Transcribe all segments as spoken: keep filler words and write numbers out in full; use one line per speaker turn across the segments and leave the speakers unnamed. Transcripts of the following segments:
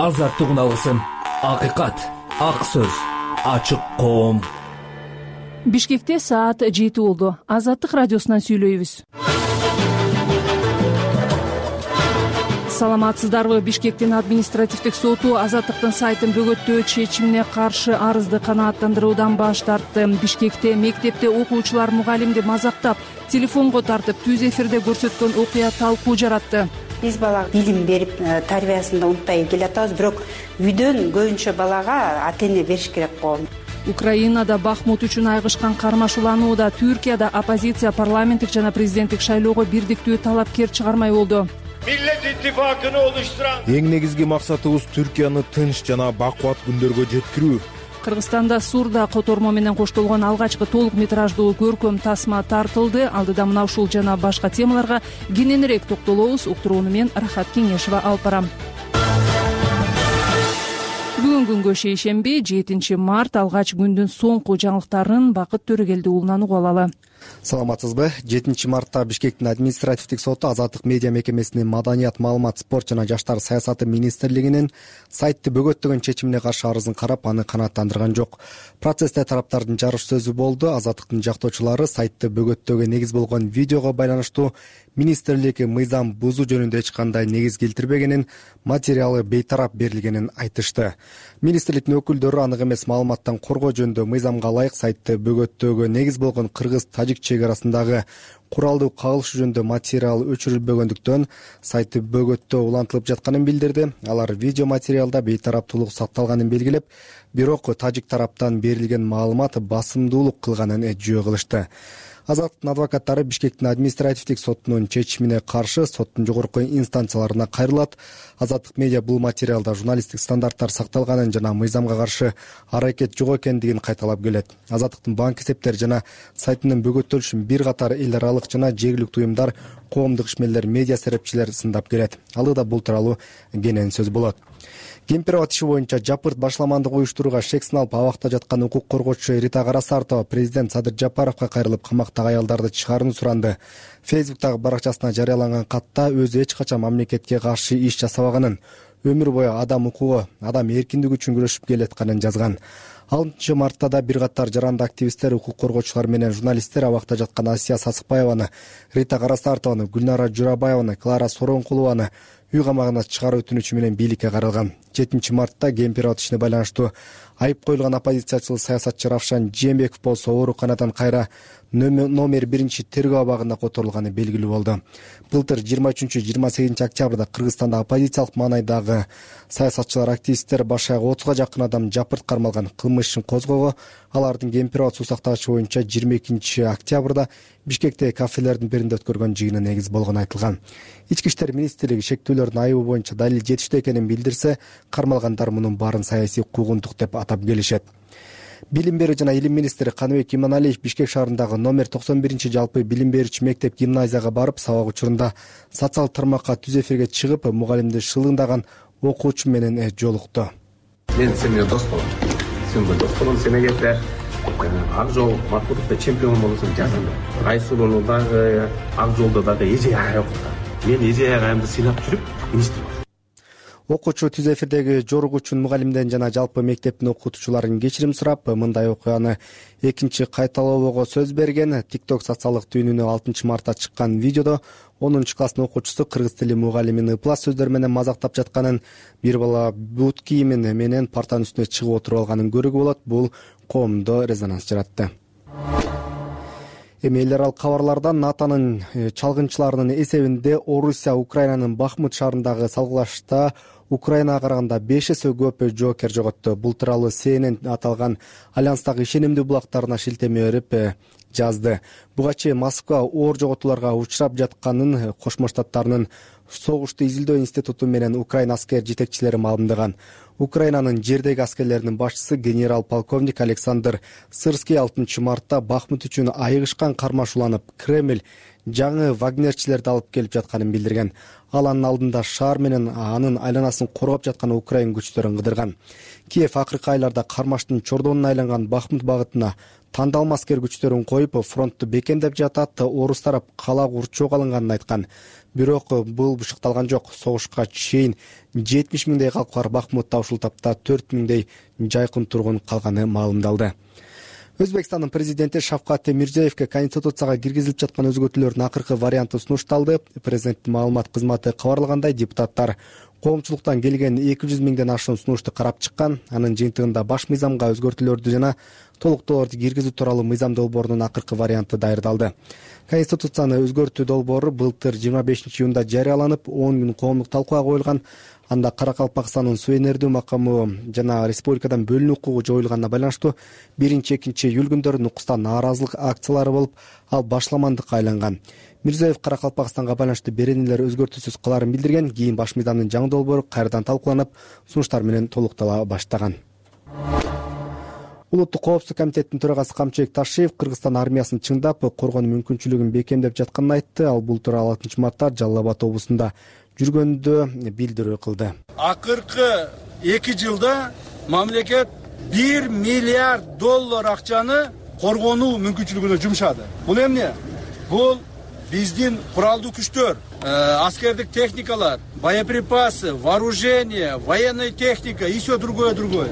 азаттык үналысын, акыйкат, ак сөз, ачык коом.
Бишкекте саат жети болду. Азаттык радиосунан сүйлөйбүз. Саламатсыздарбы? Бишкектин административдик соту Азаттыктын сайтын бөгөттөө чечимине каршы арызды канааттандыруудан баш тартты. Бишкекте мектепте окуучулар мугалимди мазактап, телефонго тартып, түз эфирде көрсөткөн окуя талкуу жаратты.
Биз балага билим берип, тарбиясын да унутпай келатабыз, бирок үйдөн көбүнчө балага ата-эне бериш керек го.
Украинада Бахмут үчүн айгышкан кармашууланууда. Түркияда оппозиция парламенттик жана президенттик шайлоого бирдиктүү талапкер чыгармай болду.
Millet İttifakı'nı oluşturan
Эң негизги максатыбыз Түркияны тынч жана бакубат күндөргө жеткирүү.
Кыргызстанда Сурда котормо менен коштолгон алгачкы толук метраждуу көркөм тасма тартылды. Алдыда мына ушул жана башка темаларга кененирээк токтолобуз. Уктурууну мен Рахат Кеңешова алып барам. Бүгүн күнгө шейшемби, жетинчи март, алгач күндүн соңку жаңылыктарын Бакыт Төрөгелди уулунан угуп алалы.
Саламатсызбы? жетинчи мартта Бишкектин административдик соту Азаттык медиа мекемесинин Маданият, маалымат, спорт жана жаштар саясаты министрлигинин сайтты бөгөттөгөн чечимине каршы арызын карап, аны канааттандырган жок. Процессте тараптардын жарыш сөзү болду. Азаттыктын жактоочулары сайтты бөгөттөөгө негиз болгон видеого байланыштуу министрлик мыйзам бузуу жөнүндө эч кандай негиз келтирбегенин, материалы бейтарап берилгенин айтышты. Министрликтин өкүлдөрү анык эмес маалыматтан коргоо жөнүндө мыйзамга ылайык сайтты бөгөттөөгө негиз болгон кыргыз-тажик чек арасындагы куралдуу кагылыш жөнүндө материал өчүрүлбөгөндүктөн сайтты бөгөттөө улантылып жатканын билдирди. Алар видео материалда бейтараптуулук сакталганын белгилеп, бирок тажик тараптан берилген маалымат басымдуулук кылганын жөө кылышты. Азаттыктын адвокаттары Бишкектин административдик сотунун чечимине каршы соттун жогорку инстанцияларына кайрылат. Азаттык медиа бул материалда журналисттик стандарттар сакталганын жана мыйзамга каршы аракет жок экендигин кайталап келет. Азаттыктын банк эсептери жана сайтынын бөгөттөлүшүн бир катар эл аралык жана жергиликтүү уюмдар, коомдук ишмерлер, медиа серепчилер сындап келет. Алыда бул тууралуу кенен сөз болот. Кемпирабад иши боюнча жапырт башламандык уюштурууга шек сыналып абакта жаткан укук коргоочу Рита Карасартова президент Садыр Жапаровго кайрылып, камактагы аялдарды чыгарууну суранды. Фейсбуктагы баракчасына жарыяланган катта өзү эч качан мамлекетке каршы иш жасабаганын, өмүр бою адам укугу, адам эркиндиги үчүн күрөшүп келатканын жазган. алтынчы мартта да бир катар жаранды активисттер, укук коргоочулар менен журналисттер абакта жаткан Асия Сасыкбаеваны, Рита Карасартованы, Гүлнара Журабаеваны, Клара Соронкулованы үй камагына чыгаруу өтүнүчү менен бийликке каралган. жетинчи мартта Кемпирабад ишине байланыштуу айып коюлган оппозициячыл саясатчы Равшан Жээнбеков болсо ооруканадан кайра номер биринчи тергөө абагында которулганы белгилүү болду. Былтыр жыйырма үчүнчү жыйырма сегизинчи октябрда Кыргызстанда оппозициялык маанайдагы саясатчылар, активисттер баш аягы отузга жакын адам жапырт кармалган. Кылмыш ишин козгоого алардын Кемпирабад суу сактагычы боюнча жыйырма экинчи октябрда Бишкектеги кафелердин биринде өткөргөн жыйыны негиз болгону айтылган. Ички иштер министрлиги шектүүлөрдүн айыбы боюнча далил жетиштүү экенин билдирсе, кармалгандар мунун баарын саясий куугунтук деп атап келишет. Билим берүү жана илим министри Каныбек Иманалиев Бишкек шаарындагы номер токсон биринчи жалпы билим берүүчү мектеп гимназияга барып, сабак учурунда социал тармакка түз эфирге чыгып, мугалимди шылыңдаган окуучу менен жолукту.
Мен сен менен дос болом. Сен менен дос болом, сен эгерде ак жол матбуатта чемпион болсоң жазам. Айсулууну дагы, ак жолдо дагы эже аяк окутат. Мен эже аягымды сыйлап жүрүп, министр болдум.
Окуучу түз эфирдеги жоругу үчүн мугалимден жана жалпы мектептин окутуучуларын кечирим сурап, мындай окуяны экинчи кайталоого сөз берген. TikTok социалдык түйүнүнө алтынчы мартта чыккан видеодо онунчу класстын окуучусу кыргыз тили мугалимин ыплас сөздөр менен мазактап жатканын, бир бала бут кийимин менен партанын үстүнө чыгып отуруп алганын көрүүгө болот. Бул коомдо резонанс жаратты. Эми эл аралык кабарлардан НАТОнун чалгынчыларынын эсебинде Орусия Украинанын Бахмут шаарындагы салгылашта Украинага караганда беш эсе көп жоокер жоготту. Бул тууралуу Си Эн Эн аталган альянстагы ишенимдүү булактарына шилтеме берип жазды. Буга чейин Москва оор жоготууларга учурап жатканын Кошмо Штаттарынын согушту изилдөө институту менен Украина аскер жетекчилери маалымдаган. Украинанын жердеги аскерлеринин башчысы генерал-полковник Александр Сырский алтынчы мартта Бахмут үчүн айыгышкан кармашууланып, Кремль жаңы вагнерчилерди алып келип жатканын билдирген. Ал анын алдында шаар менен анын айланасын коргоп жаткан Украин күчтөрүн кыдырган. Киев акыркы айларда кармаштын чордонуна айланган Бахмут багытына тандалма аскер күчтөрүн коюп, фронтту бекемдеп жатат, орус тарап кала курчоого алынганын айткан. Бирок бул бышыкталган жок. Согушка чейин жетимиш миңдей калк бар Бахмутта, ушул тапта төрт миңдей жайкын тургун калганы маалымдалды. Өзбекстандын президенти Шавкат Мирзиёевке Конституцияга киргизилип жаткан өзгөртүүлөрдүн акыркы варианты сунушталды. Президенттин маалымат кызматы кабарлагандай, депутаттар коомчулуктан келген эки жүз миңден ашуун сунушту карап чыккан. Анын жыйынтыгында баш мыйзамга өзгөртүүлөрдү жана толуктоолорду киргизүү тууралуу мыйзам долбоорунун акыркы варианты даярдалды. Конституцияны өзгөртүү долбоору былтыр жыйырма бешинчи июнда жарыяланып, он күн коомдук талкууга коюлган. Анда Каракалпакстандын суу энердүү макамы жана республикадан бөлүнүү укугу жоюлганына байланыштуу биринчи экинчи июль күндөрү нукуста нааразылык акциялары болуп, ал башламандыкка айланган. Мирзиёев Каракалпакстанга байланыштуу беренелер өзгөртүүсүз каларын билдирген. Кийин баш мыйзамдын жаңы долбоору кайрадан талкууланып, сунуштар менен толуктала баштаган. Улуттук коопсуздук комитетинин төрагасы Камчыбек Ташиев Кыргызстан армиясын чыңдап, коргонуу мүмкүнчүлүгүн бекемдеп жатканын айтты. Ал бул тууралуу алтынчы мартта Жалал Абад облусунда жүргөндө билдирүү кылды.
Акыркы эки жылда мамлекет бир миллиард доллар акчаны коргонуу мүмкүнчүлүгүнө жумшады. Бул эмне? Бул биздин куралдуу күчтөр, аскердик техникалар, боеприпасы, вооружение, военная техника и все другое другое.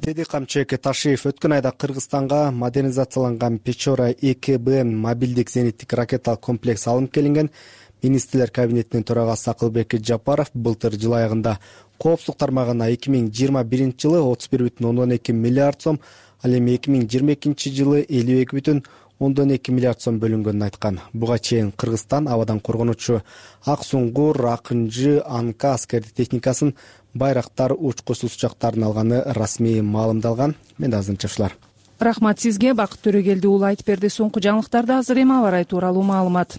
Деди Камчыбек Ташиев өткөн айда Кыргызстанга модернизацияланган Печора эки Б мобилдик зениттик ракеталык комплекс алынып келинген. Министрлер кабинетинин төрагасы Акылбек Жапаров былтыр жыл аягында коопсуздук тармагына эки миң жыйырма биринчи жылы отуз бир бүтүн ондон эки миллиард сом, ал эми эки миң жыйырма экинчи жылы элүү эки бүтүн ондон эки миллиард сом бөлүнгөнүн айткан. Буга чейин Кыргызстан абадан коргонуучу Ак Суңгур, Акынжы, Анка аскердик техникасын, Байрактар учкучсуз учактарын алганы расмий маалымдалган. Мен азырынча ушулар.
Рахмат сизге, Бакыт Төрөгелди уулу айтып берди. Соңку жаңылыктарда азыр эми аба ырайы тууралуу маалымат.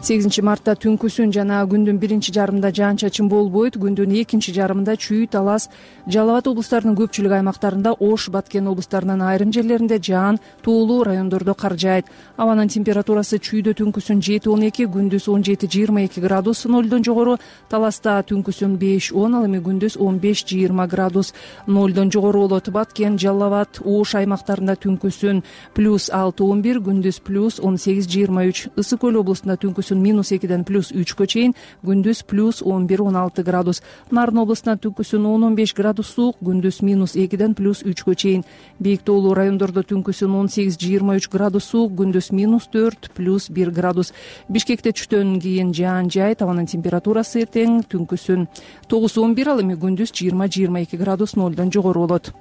сегизинчи мартта түнкүсүн жана күндүн биринчи жарымында жаан-чачын болбойт. Күндүн экинчи жарымында Чүй, Талас, Жалал Абад облустарынын көпчүлүк аймактарында, Ош, Баткен облустарынын айрым жерлеринде жаан, тоолуу райондордо кар жаайт. Абанын температурасы Чүйдө түнкүсүн жети он эки, күндүз он жети жыйырма эки градус нолдон жогору, Таласта түнкүсүн беш он, ал эми күндүз он беш жыйырма градус нолдон жогору болот. Баткен, Жалал Абад, Ош аймактарында түнкүсүн плюс алты он бир, күндүз плюс он сегиз жыйырма үч, Ысык Көл облустунда түнкүсүн минус экиден плюс үчкө чейин, күндүз плюс он бир он алты градус. Нарын облустунда түнкүсүн он он беш градус суук, күндүз минус экиден плюс үчкө чейин. Бийик тоолуу райондордо түнкүсүн он сегиз жыйырма үч градус суук, күндүз минус төрт плюс бир градус. Бишкекте түштөн кийин жаан жаайт. Абанын температурасы эртең түнкүсүн тогуз он бир, ал эми күндүз жыйырма жыйырма эки градус нолдон жогору болот.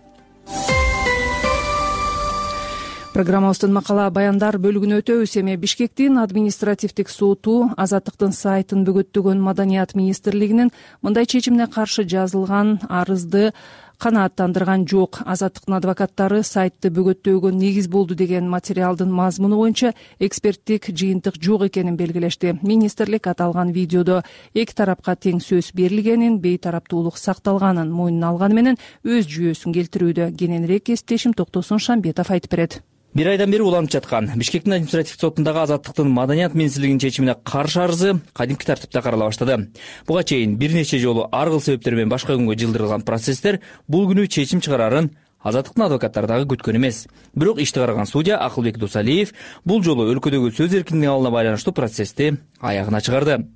Программабыздын макала баяндар бөлүгүнө өтөбүз. Эми Бишкектин административдик соту Азаттыктын сайтын бөгөттөгөн Маданият министрлигинин мындай чечимине каршы жазылган арызды канааттандырган жок. Азаттыктын адвокаттары сайтты бөгөттөөгө негиз болду деген материалдын мазмуну боюнча эксперттик жыйынтык жок экенин белгилешти. Министрлик аталган видеодо эки тарапка тең сөз берилгенин, бейтараптуулук сакталганын мойнуна алганы менен өз жүйөсүн келтирүүдө. Кененирээк кесиптешим Токтосун Шамбетов айтып берет.
Бир айдан бери уланып жаткан Бишкектин административдик сотундагы Азаттыктын Маданият министрлигинин чечимине каршы арызы кадимки тартипте карала баштады. Буга чейин бир нече жолу ар кыл себептер менен башка күнгө жылдырылган процесстер бул күнү чечим чыгарарын Азаттыктын адвокаттары дагы күткөн эмес. Бирок ишти караган судья Акылбек Дусалиев бул жолу өлкөдөгү сөз эркиндигине алына байланыштуу процессти аягына чыгарды.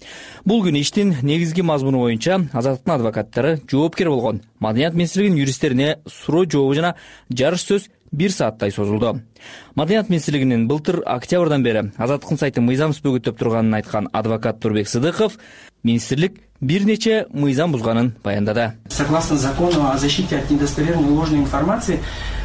Бул күнү иштин негизги мазмуну боюнча Азаттыктын адвокаттары жоопкер болгон Маданият министрлигинин юристтерине суроо жообу жана жарыш сөз бир сааттай созулду. Маданият министрлигинин былтыр октябрдан бери Азаттыктын сайтын мыйзамсыз бөгөттөп турганын айткан адвокат Турбек Сыдыков министрлик бир нече мыйзам бузганын баяндады.
Согласно закону о защите от недостоверной ложной информации,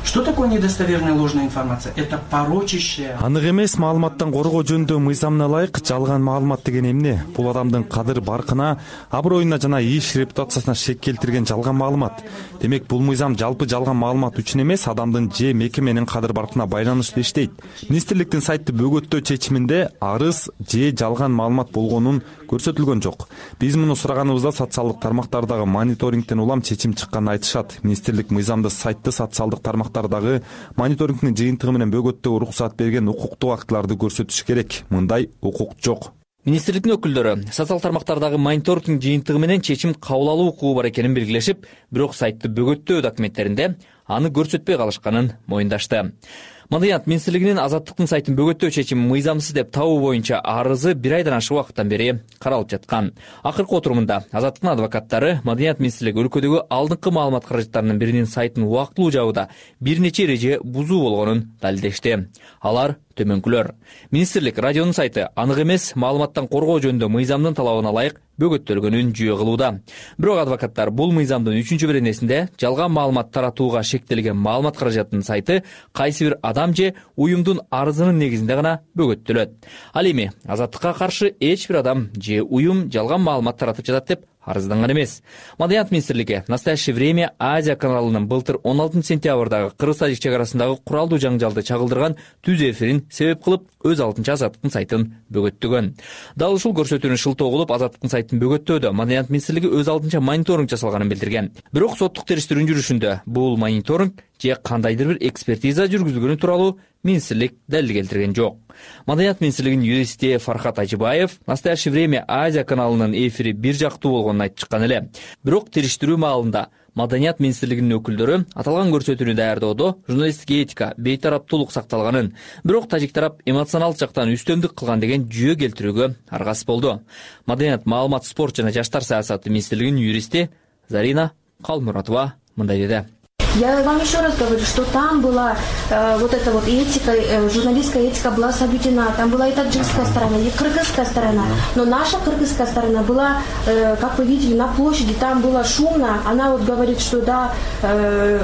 что такое недостоверная ложная информация? Это порочащая.
Анык эмес маалыматтан коргоо жөнүндө мыйзамына ылайык жалган маалымат деген эмне? Бул адамдын кадыр баркына, аброюна жана иш репутациясына шек келтирген жалган маалымат. Демек бул мыйзам жалпы жалган маалымат үчүн эмес, адамдын же мекеменин кадыр баркына байланыштуу иштейт. Министрликтин сайтты бөгөттөө чечиминде арыз же жалган маалымат болгонун көрсөтүлгөн жок. Биз муну сураганыбызда социалдык тармактардагы мониторингден улам чечим чыкканын айтышат. Министрлик мыйзамды сайтты социалдык тармактар тармактар дагы мониторингдин жыйынтыгы менен бөгөттөгө уруксат берген укуктук актыларды көрсөтүш керек. Мындай укук жок.
Министрликтин өкүлдөрү социал тармактардагы мониторингдин жыйынтыгы менен чечим кабыл алуу укугу бар экенин белгилешип, бирок сайтты бөгөттөө документтеринде аны көрсөтпөй калышканын моюндашты. Маданият министрлигинин азаттыктын сайтын бөгөттөө чечими мыйзамсыз деп табуу боюнча арызы бир айдан ашык убакыттан бери каралып жаткан. Акыркы отурумунда азаттыктын адвокаттары Маданият министрлиги өлкөдөгү алдыңкы маалымат каражаттарынын биринин сайтын убактылуу жабууда бир нече эреже бузуу болгонун далилдешти. Алар төмөнкүлөр. Министрлик радионун сайты анык эмес маалыматтан коргоо жөнүндө мыйзамдын талабына ылайык бөгөттөлгөнүн жүйө кылууда. Бирок адвокаттар бул мыйзамдын үчүнчү беренесинде жалган маалымат таратууга шектелген маалымат каражатынын сайты кайсы бир адам же уюмдун арызынын негизинде гана бөгөттөлөт. Ал эми азаттыкка каршы эч бир адам же уюм жалган маалымат таратып жатат деп арызданган эмес. Маданият министрлиги «Настоящее время» Азия каналынын былтыр он алтынчы сентябрдагы Кыргыз-Тажик чек арасындагы куралдуу жаңжалды чагылдырган түз эфирин себеп кылып өз алдынча азаттыктын сайтын бөгөттөгөн. Дал ушул көрсөтүүнү шылтоо кылып азаттыктын сайтын бөгөттөөдө Маданият министрлиги өз алдынча мониторинг жасалганын билдирген. Бирок соттук териштирүүнүн жүрүшүндө бул мониторинг же кандайдыр бир экспертиза жүргүзүлгөнү тууралуу министрлик далил келтирген жок. Маданият министрлигинин юристи Фархат Ажибаев «Настоящее время» Азия каналынын эфири бир жактуу болгонун айтып чыккан эле. Бирок териштирүү маалында Маданият министрлигинин өкүлдөрү аталган көрсөтүүнү даярдоодо журналисттик этика, бейтараптуулук сакталганын, бирок тажик тарап эмоционалдык жактан үстөмдүк кылган деген жүйө келтирүүгө аргасыз болду. Маданият, маалымат, спорт жана жаштар саясаты министрлигинин юристи Зарина Калмуратова мындай деди.
Я вам еще раз говорю, что там была э, вот эта вот этика, э, журналистская этика была соблюдена. Там была и таджикская сторона, и кыргызская сторона. Но наша кыргызская сторона была, э, как вы видели, на площади. Там было шумно. Она вот говорит, что да, э,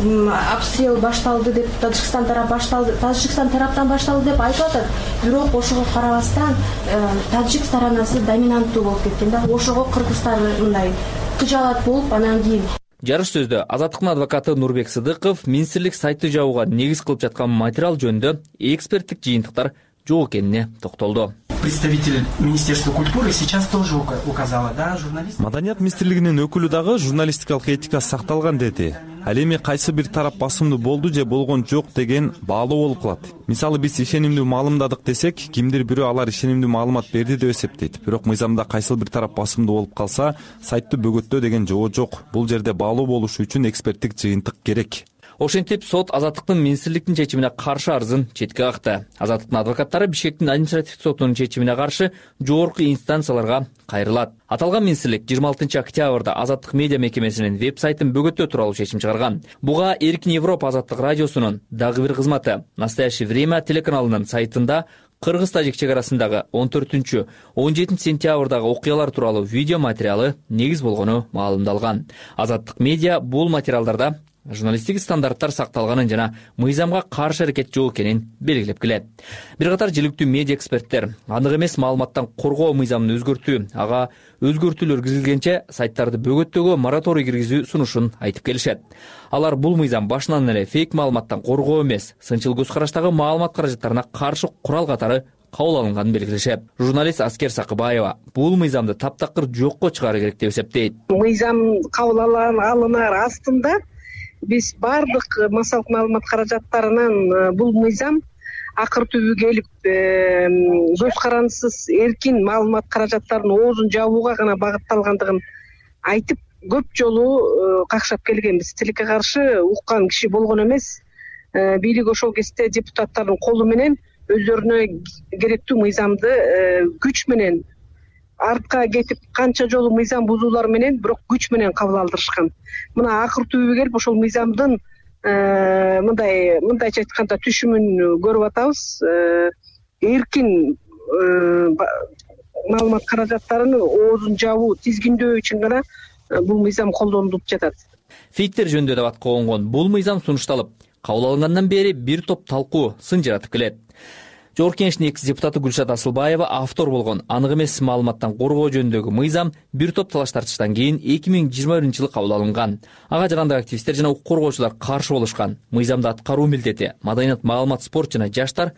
э, обстрел башталды деп, Таджикстан тарап башталды, Таджикстан тараптан башталды деп айтып атат. Бирок ошого карабастан э, таджик сторонасы доминанттуу болуп кеткен да. Ошого кыргыздар мындай кыжалат болуп анан кийин.
Жарыш сөздө азаттыктын адвокаты Нурбек Сыдыков министрлик сайты жабууга негиз кылып жаткан материал жөнүндө эксперттик жыйынтыктар жок экенине токтолду.
Представитель Министерства культуры сейчас тоже указала, да, журналист.
Маданият министрлигинин өкүлү дагы журналистикалык этика сакталган деди. Ал эми кайсы бир тарап басымдуу болду же болгон жок деген баалуу болуп калат. Мисалы биз ишенимдүү маалымдадык десек, кимдир бирөө алар ишенимдүү маалымат берди деп эсептейт. Бирок мыйзамда кайсы бир тарап басымдуу болуп калса, сайтты бөгөттөө деген жоо жок. Бул жерде баалуу болуш үчүн эксперттик жыйынтык керек.
Ошентип сот азаттыктын министрликтин чечимине каршы арызын четке какты. Азаттыктын адвокаттары Бишкектин административдик сотунун чечимине каршы жогорку инстанцияларга кайрылат. Аталган министрлик жыйырма алтынчы октябрда Азаттык медиа мекемесинин веб-сайтын бөгөттөө тууралуу чечим чыгарган. Буга Эркин Европа азаттык радиосунун дагы бир кызматы «Настоящее время» телеканалынын сайтында Кыргыз-Тажик чек арасындагы он төртүнчү он жетинчи сентябрдагы окуялар тууралуу видео материалы негиз болгону маалымдалган. Азаттык медиа бул материалдарда журналисттик стандарттар сакталганын жана мыйзамга каршы аракет жок экенин белгилеп келет. Бир катар жиликтүү медиа эксперттер анык эмес маалыматтан коргоо мыйзамын өзгөртүү, ага өзгөртүүлөр киргизилгенче сайттарды бөгөттөөгө мораторий киргизүү сунушун айтып келишет. Алар бул мыйзам башынан эле фейк маалыматтан коргоо эмес, сынчыл көз караштагы маалымат каражаттарына каршы курал катары кабыл алынганын белгилешет. Журналист Аскер Сакыбаева бул мыйзамды таптакыр жокко чыгаруу керек деп эсептейт.
Мыйзам кабыл алынар астында биз бардык массалык маалымат каражаттарынан бул мыйзам акыр түбүгө келип көз карандысыз эркин маалымат каражаттарынын оозун жабууга гана багытталгандыгын айтып көп жолу какшап келгенбиз. Тилекке каршы уккан киши болгон эмес. Бийлик ошол кезде депутаттардын колу менен өздөрүнө керектүү мыйзамды күч менен артка кетип канча жолу мыйзам бузуулар менен бирок күч менен кабыл алдырышкан. Мына акыр түбүгө келип ошол мыйзамдын мындай мындайча айтканда түшүмүн көрүп атабыз. Эркин маалымат каражаттарынын оозун жабуу, тизгиндөө үчүн гана бул мыйзам колдонулуп жатат.
Фейктер жөнүндө да батка конгон бул мыйзам сунушталып, кабыл алынгандан бери бир топ талкуу, сын жаратып келет. Жогорку Кеңештин экс депутаты Гүлшат Асылбаева автор болгон анык эмес маалыматтан коргоо жөнүндөгү мыйзам бир топ талаш тартыштан кийин эки миң жыйырма биринчи жылы кабыл алынган. Ага жарандык активисттер жана укук коргоочулар каршы болушкан. Мыйзамды аткаруу милдети Маданият, маалымат, спорт жана жаштар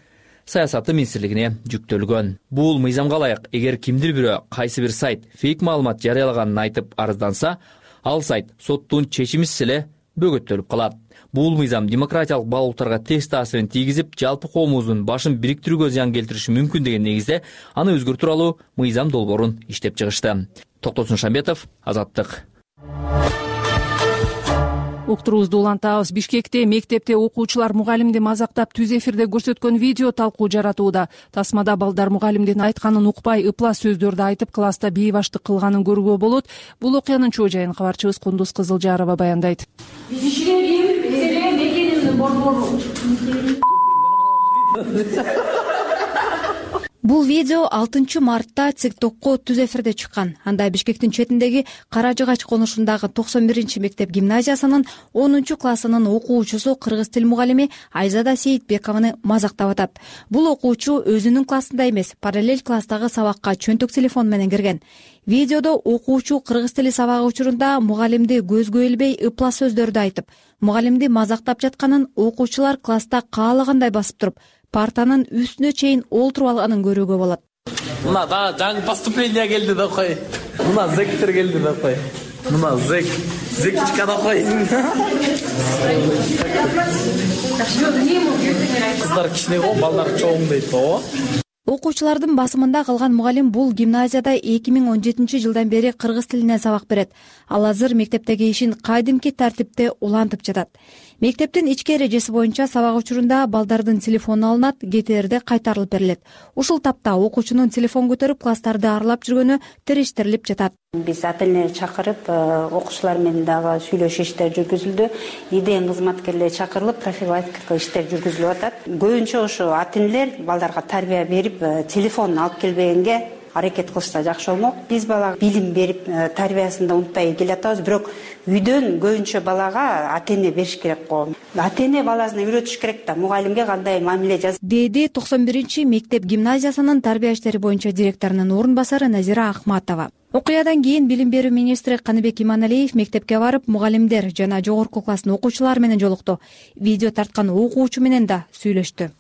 саясаты министрлигине жүктөлгөн. Бул мыйзамга ылайык, эгер кимдир бирөө кайсы бир сайт фейк маалымат жарыялаганын айтып арызданса, ал сайт соттун чечимисиз эле бөгөттөлүп калат. Бул мыйзам демократиялык баалуулуктарга терс таасирин тийгизип, жалпы коомубуздун башын бириктирүүгө зыян келтириши мүмкүн деген негизде аны өзгөртүү тууралуу мыйзам долбоорун иштеп чыгышты. Токтосун Шамбетов, Азаттык.
Уктуруубузду улантабыз. Бишкекте мектепте окуучулар мугалимди мазактап түз эфирде көрсөткөн видео талкуу жаратууда. Тасмада балдар мугалимдин айтканын укпай, ыплас сөздөрдү айтып, класста бейбаштык кылганын көрүүгө болот. Бул окуянын чоо жайын кабарчыбыз Кундуз Кызылжарова баяндайт.
Бул видео алтынчы мартта ТикТокко түз эфирде чыккан. Анда Бишкектин четиндеги Кара Жыгач конушундагы токсон биринчи мектеп гимназиясынын онунчу классынын окуучусу кыргыз тил мугалими Айзада Сейитбекованы мазактап атат. Бул окуучу өзүнүн классында эмес, параллель класстагы сабакка чөнтөк телефон менен кирген. Видеодо окуучу кыргыз тили сабагы учурунда мугалимди көзгө илбей ыплас сөздөрдү айтып, мугалимди мазактап жатканын окуучулар класста каалагандай басып туруп, партанын үстүнө чейин олтуруп алганын көрүүгө болот.
Мына да жаңы поступление келди да кой. Мына зектер келди да кой. Мына зек, зекчика да кой. Кыздар кичине го, балдар чоң дейт го.
Окуучулардын басымында калган мугалим бул гимназияда эки миң он жетинчи жылдан бери кыргыз тилинен сабак берет. Ал азыр мектептеги ишин кайдимки тартипте улантып жатат. Мектептин ички эрежеси боюнча сабак учурунда балдардын телефону алынат, кетээрде кайтарылып берилет. Ушул тапта окуучунун телефон көтөрүп класстарды аралап жүргөнү териштирилип жатат.
Биз ата-энелерди чакырып, окуучулар менен дагы сүйлөшүү иштери жүргүзүлдү. ИДН кызматкерлери чакырылып, профилактика иштери жүргүзүлүп атат. Көбүнчө ошо ата-энелер балдарга тарбия берип, телефон алып келбегенге аракет кылышса жакшы болмок. Биз балага билим берип, тарбиясында унутпай келатабыз, бирок үйдөн көбүнчө балага ата-эне бериш керек го. Ата-эне баласына үйрөтүш керек да, мугалимге кандай мамиле жаз.
Деди токсон биринчи мектеп гимназиясынын тарбия иштери боюнча директорунун орун басары Назира Ахматова. Окуядан кийин билим берүү министри Каныбек Иманалиев мектепке барып, мугалимдер жана жогорку класстын окуучулары менен жолукту. Видео тарткан окуучу менен да сүйлөштү.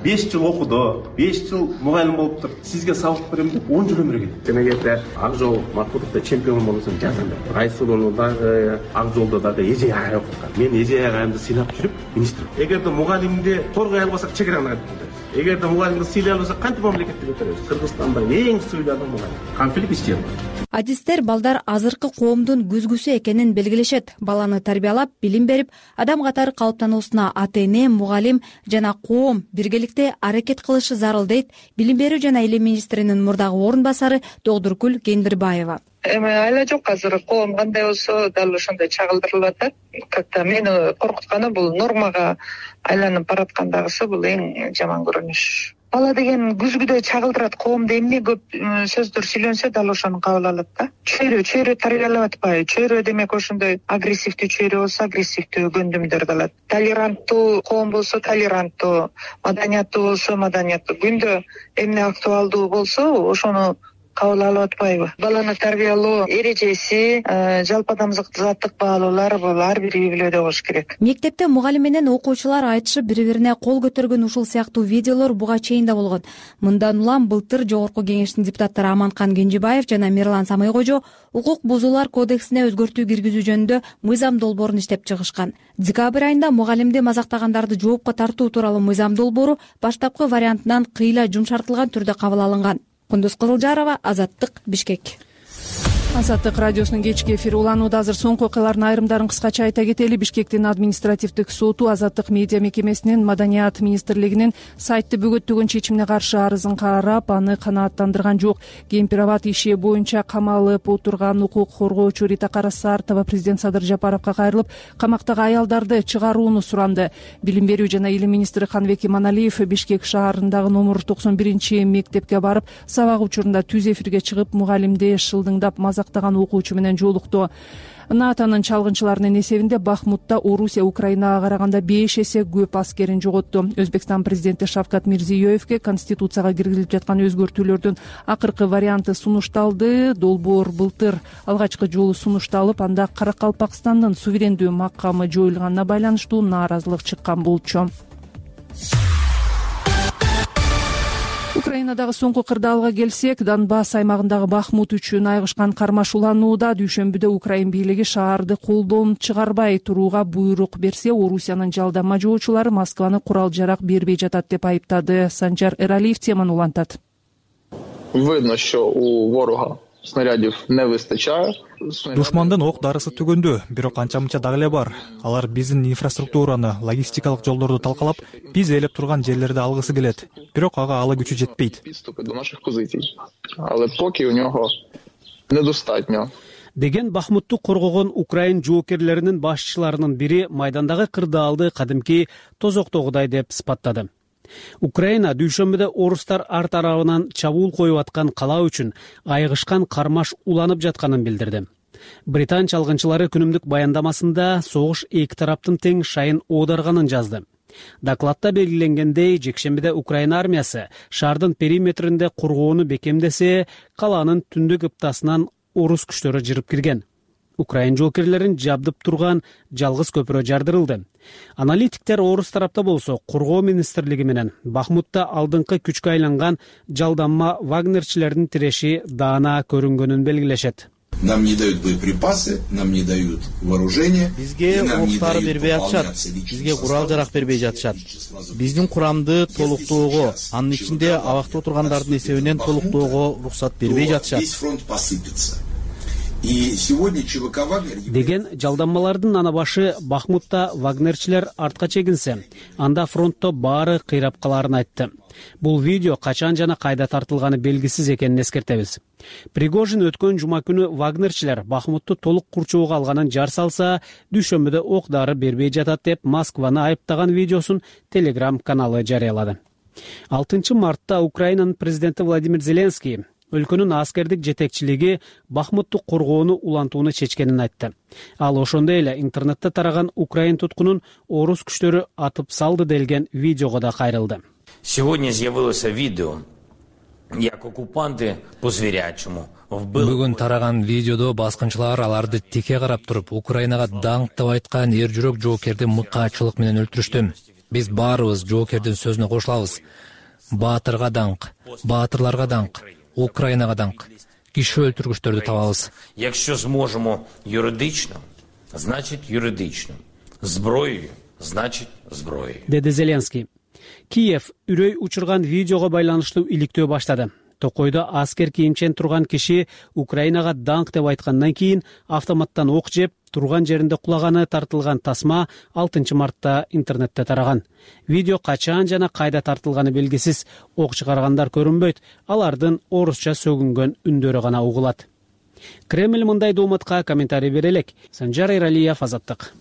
беш жыл окуду, беш жыл мугалим болуптур. Сизге сабак берем деп он жыл өмүр кетти. Демегенде ак жол Макбутовдо чемпион болсоң жазам деп. Айсулууну дагы ак жолдо дагы эже агай окуткан. Мен эже агайымды сыйлап жүрүп, министр. Эгерде мугалимди торгой албасак чегераны айтып коет. Эгерде мугалимди сыйлай албасак кантип мамлекетти көтөрөбүз? Кыргызстанда эң сыйлуу мугалим. Конфликт ишти.
Адистер балдар азыркы коомдун күзгүсү экенин белгилешет. Баланы тарбиялап, билим берип, адам катары калыптануусуна ата-эне, мугалим жана коом биргеликте аракет кылышы зарыл дейт билим берүү жана илим министринин мурдагы орун басары Догдуркүл Кендирбаева.
Эми айла жок, азыр коом кандай болсо дал ошондой чагылдырылып атат. Как-то мени коркутканы бул нормага айланып бараткандагысы бул эң жаман көрүнүш. Бала деген күзгүдө чагылдырат, коомдо эмне көп сөздөр сүйлөнсө дал ошону кабыл алат да. Чөйрө, чөйрө тарбиялап атпайбы? Чөйрө демек ошондой агрессивдүү чөйрө болсо агрессивдүү көндүмдөрдү алат. Толеранттуу коом болсо толеранттуу, маданияттуу болсо маданияттуу. Күндө эмне актуалдуу болсо ошону кабыл алып атпайбы? Баланы тарбиялоо эрежеси, жалпы адамзаттык баалуулар бул ар бири үй-бүлөдө болуш керек.
Мектепте мугалим менен окуучулар айтышып, бири-бирине кол көтөргөн ушул сыяктуу видеолор буга чейин да болгон. Мындан улам былтыр Жогорку Кеңештин депутаттары Аманкан Кенжебаев жана Мирлан Самыйкожо укук бузуулар кодексине өзгөртүү киргизүү жөнүндө мыйзам долбоорун иштеп чыгышкан. Декабрь айында мугалимди мазактагандарды жоопко тартуу тууралуу мыйзам долбоору баштапкы вариантынан кыйла жумшартылган түрдө кабыл алынган. Кундуз Кызылжарова, Азаттык, Бишкек.
Азаттык радиосунун кечки эфири уланууда. Азыр соңку окуялардын айрымдарын кыскача айта кетели. Бишкектин административдик соту Азаттык медиа мекемесинин Маданият министрлигинин сайтты бөгөттөгөн чечимине каршы арызын карап, аны канааттандырган жок. Кемпир-абад иши боюнча камалып отурган укук коргоочу Рита Карасартова президент Садыр Жапаровго кайрылып, камактагы аялдарды чыгарууну суранды. Билим берүү жана илим министри Каныбек Иманалиев Бишкек шаарындагы номер токсон биринчи мектепке барып, сабак учурунда түз эфирге чыгып, мугалимди шылдыңдап мазактаган окуучу менен жолукту. НАТОнун чалгынчыларынын эсебинде Бахмутта Орусия Украинага караганда беш эсе көп аскерин жоготту. Өзбекстан президенти Шавкат Мирзиёевке конституцияга киргизилип жаткан өзгөртүүлөрдүн акыркы варианты сунушталды. Долбоор былтыр алгачкы жолу сунушталып, анда Каракалпакстандын суверендүү макамы жоюлганына байланыштуу нааразылык чыккан болчу. Украинадагы соңку кырдаалга келсек, Донбасс аймагындагы Бахмут үчүн айгышкан кармаш уланууда дүйшөмбүдө Украин бийлиги шаарды колдон чыгарбай турууга буйрук берсе, Орусиянын жалдама жоочулары Москваны курал-жарак бербей жатат деп айыптады. Санжар Эралиев теманы улантат.
Видно, що у ворога снарядів не вистачає.
Душмандын ок дарысы түгөндү, бирок анча-мынча дагы эле бар. Алар биздин инфраструктураны, логистикалык жолдорду талкалап, биз ээлеп турган жерлерди алгысы келет. Бирок ага алы күчү жетпейт.
Підступи до наших позицій. Але поки у нього недостатньо.
Деген Бахмутту коргогон Украин жоокерлеринин башчыларынын бири майдандагы кырдаалды кадимки тозоктогудай деп сыпаттады. Украина дүйшөмбүдө орустар ар тарабынан чабуул коюп аткан кала үчүн айгышкан кармаш уланып жатканын билдирди. Британ чалгынчылары күнүмдүк баяндамасында согуш эки тараптын тең шайын оодарганын жазды. Докладта белгиленгендей, жекшембиде Украина армиясы шаардын периметринде коргоону бекемдесе, каланын түндүк ыптасынан орус күчтөрү жырып кирген. Украин жоокерлерин жабдып турган жалгыз көпүрө жардырылды. Аналитиктер орус тарапта болсо коргоо министрлиги менен Бахмутта алдыңкы күчкө айланган жалданма вагнерчилердин тиреши даана көрүнгөнүн белгилешет.
Нам не дают боеприпасы, нам не дают вооружение.
Бизге октар бербей атышат, бизге курал-жарак бербей жатышат. Биздин курамды толуктоого, анын ичинде абакта отургандардын эсебинен толуктоого уруксат бербей жатышат.
Весь фронт посыпется. И сегодня ЧВК Вагнер...
Деген жалданмалардын ана башы Бахмутта вагнерчилер артка чегинсе, анда фронтто баары кыйрап каларын айтты. Бул видео качан жана кайда тартылганы белгисиз экенин эскертебиз. Пригожин өткөн жума күнү вагнерчилер Бахмутту толук курчоого алганын жар салса, дүйшөмбүдө ок дары бербей жатат деп Москваны айыптаган видеосун Telegram каналы жарыялады. алтынчы мартта Украинанын президенти Владимир Зеленский өлкөнүн аскердик жетекчилиги Бахмутту коргоону улантууну чечкенин айтты. Ал ошондой эле интернетте тараган Украин туткунун орус күчтөрү атып салды делген видеого да кайрылды.
Сегодня з'явилося видео, як оккупанты по звірячому вбили.
Бүгүн тараган видеодо баскынчылар аларды тике карап туруп, Украинага даңк деп айткан эр жүрөк жоокерди мыкаачылык менен өлтүрүштү. Биз баарыбыз жоокердин сөзүнө кошулабыз. Баатырга даңк, баатырларга даңк, Украинага даңк. Киши өлтүргүчтөрдү табабыз.
Якщо зможемо юридично, значит юридично. Зброєю, значит зброєю.
Деди Зеленский. Киев үрөй учурган видеого байланыштуу иликтөө баштады. Токойдо аскер кийимчен турган киши Украинага даңк деп айткандан кийин автоматтан ок жеп турган жеринде кулаганы тартылган тасма алтынчы мартта интернетте тараган. Видео качан жана кайда тартылганы белгисиз, ок чыгаргандар көрүнбөйт, алардын орусча сөгүнгөн үндөрү гана угулат. Кремль мындай дооматка комментарий бере элек. Санжар Эралиев, Азаттык.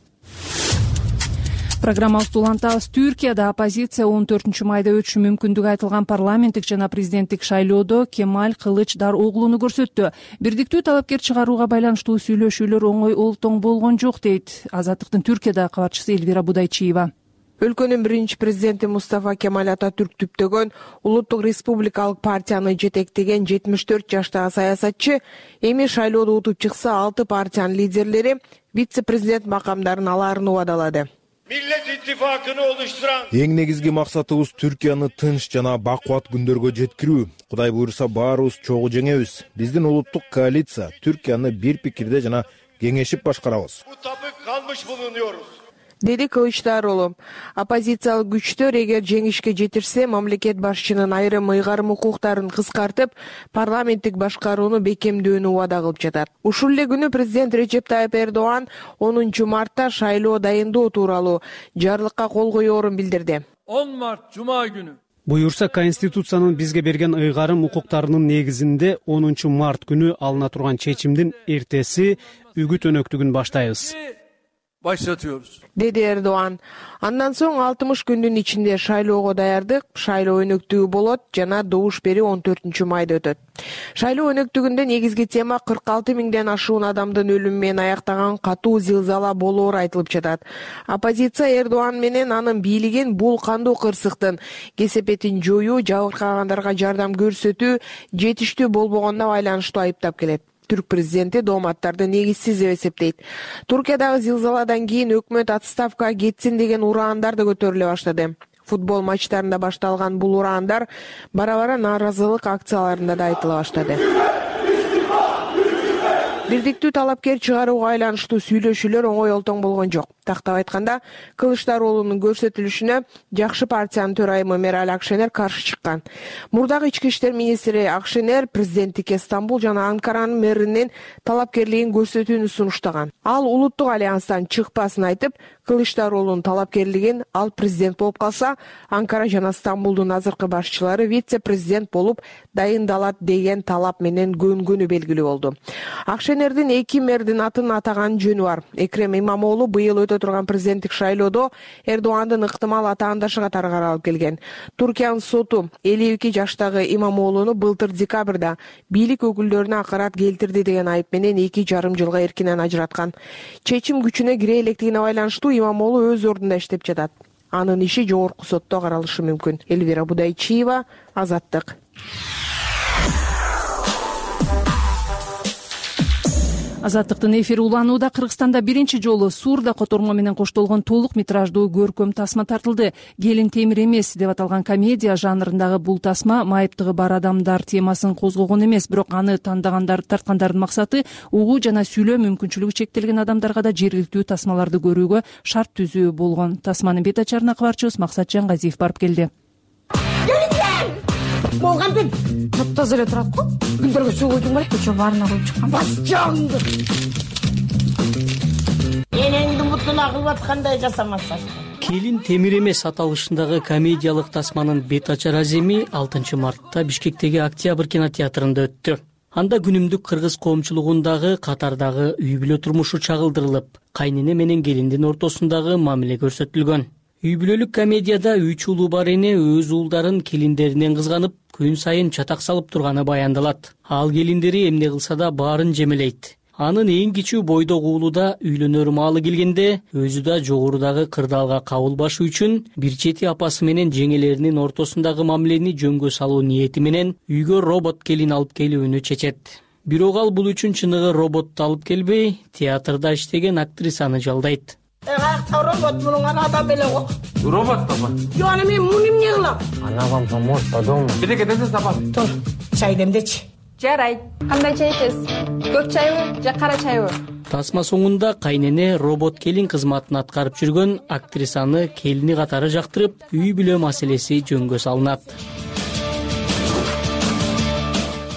Программабызды улантабыз. Түркияда оппозиция он төртүнчү майда өтүшү мүмкүндүгү айтылган парламенттик жана президенттик шайлоодо Кемаль Кылычдароглуну көрсөттү. Бирдиктүү талапкер чыгарууга байланыштуу сүйлөшүүлөр оңой олтоң болгон жок, дейт Азаттыктын Түркиядагы кабарчысы Эльвира Будайчиева.
Өлкөнүн биринчи президенти Мустафа Кемаль Ататүрк түптөгөн улуттук республикалык партияны жетектеген жетимиш төрт жаштагы саясатчы эми шайлоодо утуп чыкса алты партиянын лидерлери вице-президент макамдарын алаарын убадалады.
Millet İttifakı'nı oluşturan
Эң негизги максатыбыз Түркияны тынч жана бакубат күндөргө жеткирүү. Кудай буйруса баарыбыз чогуу жеңебиз. Биздин улуттук коалиция Түркияны бир пикирде жана кеңешип башкарабыз.
mutabık kalmış bulunuyoruz.
Деди Кылычдароглу. Оппозициялык күчтөр эгер жеңишке жетирсе, мамлекет башчынын айрым ыйгарым укуктарын кыскартып, парламенттик башкарууну бекемдөөнү убада кылып жатат. Ушул эле күнү президент Речеп Тайып Эрдоган онунчу мартта шайлоо дайындоо тууралуу жарлыкка кол коёрун билдирди.
он март жума күнү
Буюрса, Конституциянын бизге берген ыйгарым укуктарынын негизинде онунчу март күнү алына турган чечимдин эртеси үгүт өнөктүгүн баштайбыз.
başlatıyoruz.
Деди Эрдоган. Андан соң алтымыш күндүн ичинде шайлоого даярдык, шайлоо өнөктүгү болот жана добуш берүү он төртүнчү майда өтөт. Шайлоо өнөктүгүндө негизги тема кырк алты миңден ашуун адамдын өлүмү менен аяктаган катуу зилзала болоору айтылып жатат. Оппозиция Эрдоган менен анын бийлигин бул кандуу кырсыктын кесепетин жоюу, жабыркагандарга жардам көрсөтүү жетиштүү болбогонуна байланыштуу айыптап келет. Түрк президенти дооматтарды негизсиз деп эсептейт. Туркиядагы зилзаладан кийин өкмөт отставкага кетсин деген ураандар да көтөрүлө баштады. Футбол матчтарында башталган бул ураандар бара-бара нааразылык акцияларында да айтыла баштады. Бирдиктүү талапкер чыгарууга айланыштуу сүйлөшүүлөр оңой олтоң болгон жок. Тактап айтканда, Кылычдароğlu'нун көрсөтүлүшүнө жакшы партиянын төрайымы Мераль Акшенер каршы чыккан. Мурдагы ички иштер министри Акшенер президенттикке Стамбул жана Анкаранын мэринин талапкерлигин көрсөтүүнү сунуштаган. Ал улуттук альянстан чыкпасын айтып, Кылычдароğlu'нун талапкерлигин ал президент болуп калса, Анкара жана Стамбулдун азыркы башчылары вице-президент болуп дайындалат деген талап менен көнгөнү белгилүү болду. Акшенердин эки мэрдин атын атаган жөнү бар. Экрем Имамоğlu быйыл өтө турган президенттик шайлоодо Эрдогандын ыктымал атаандашы катары каралып келген. Туркиянын соту элүү эки жаштагы Имамоğlu'ну былтыр декабрда бийлик өкүлдөрүнө акарат келтирди деген айып менен эки жарым жылга эркинен ажыраткан. Чечим күчүнө кире электигине байланыштуу Имамоğlu өз ордунда иштеп жатат. Анын иши жогорку сотто каралышы мүмкүн. Элвира Будайчиева, Азаттык.
Азаттыктын эфири уланууда. Кыргызстанда биринчи жолу Сурда котормо менен коштолгон толук метраждуу көркөм тасма тартылды. Келин темир эмес деп аталган комедия жанрындагы бул тасма майыптыгы бар адамдар темасын козгогон эмес, бирок аны тандагандар тарткандардын максаты угуу жана сүйлөө мүмкүнчүлүгү чектелген адамдарга да жергиликтүү тасмаларды көрүүгө шарт түзүү болгон. Тасманын бет ачарына кабарчыбыз Максат Жангазиев барып келди.
Болгонду таптаза эле турат го. Күндөргө суу куйдуң беле, көчө баарына коюп чыккан. Бас жагыңды. Энеңди мутуна кылып аткандай жасамаса.
Келин темир эмес аталышындагы комедиялык тасманын бет ачар аземи алтынчы мартта Бишкектеги Октябрь кинотеатрында өттү. Анда күнүмдүк кыргыз коомчулугундагы катардагы үй бүлө турмушу чагылдырылып, кайнене менен келиндин ортосундагы мамиле көрсөтүлгөн. Үй бүлөлүк комедияда үч уулу бар эне өз уулдарын келиндеринен кызганып, күн сайын чатак салып турганы баяндалат. Ал келиндери эмне кылса да баарын жемелейт. Анын эң кичүү бойдогу уулу да үйлөнөр маалы келгенде өзү да жогорудагы кырдаалга кабылбашы үчүн бир чети апасы менен жеңелеринин ортосундагы мамилени жөнгө салуу ниети менен үйгө робот келин алып келүүнү чечет. Бирок ал бул үчүн чыныгы роботту алып келбей, театрда иштеген актрисаны жалдайт.
Робот мунун адам эле го.
Робот баба.
Жок, аны мен муну эмне кылам?
Она вам поможет по дому. Бирге десе сапат.
Тур, чай демдечи.
Жарайт. Кандай чай ичесиз? Көк чайбы же кара чайбы?
Тасма соңунда кайнене робот келин кызматын аткарып жүргөн актрисаны келини катары жактырып, үй бүлө маселеси жөнгө салынат.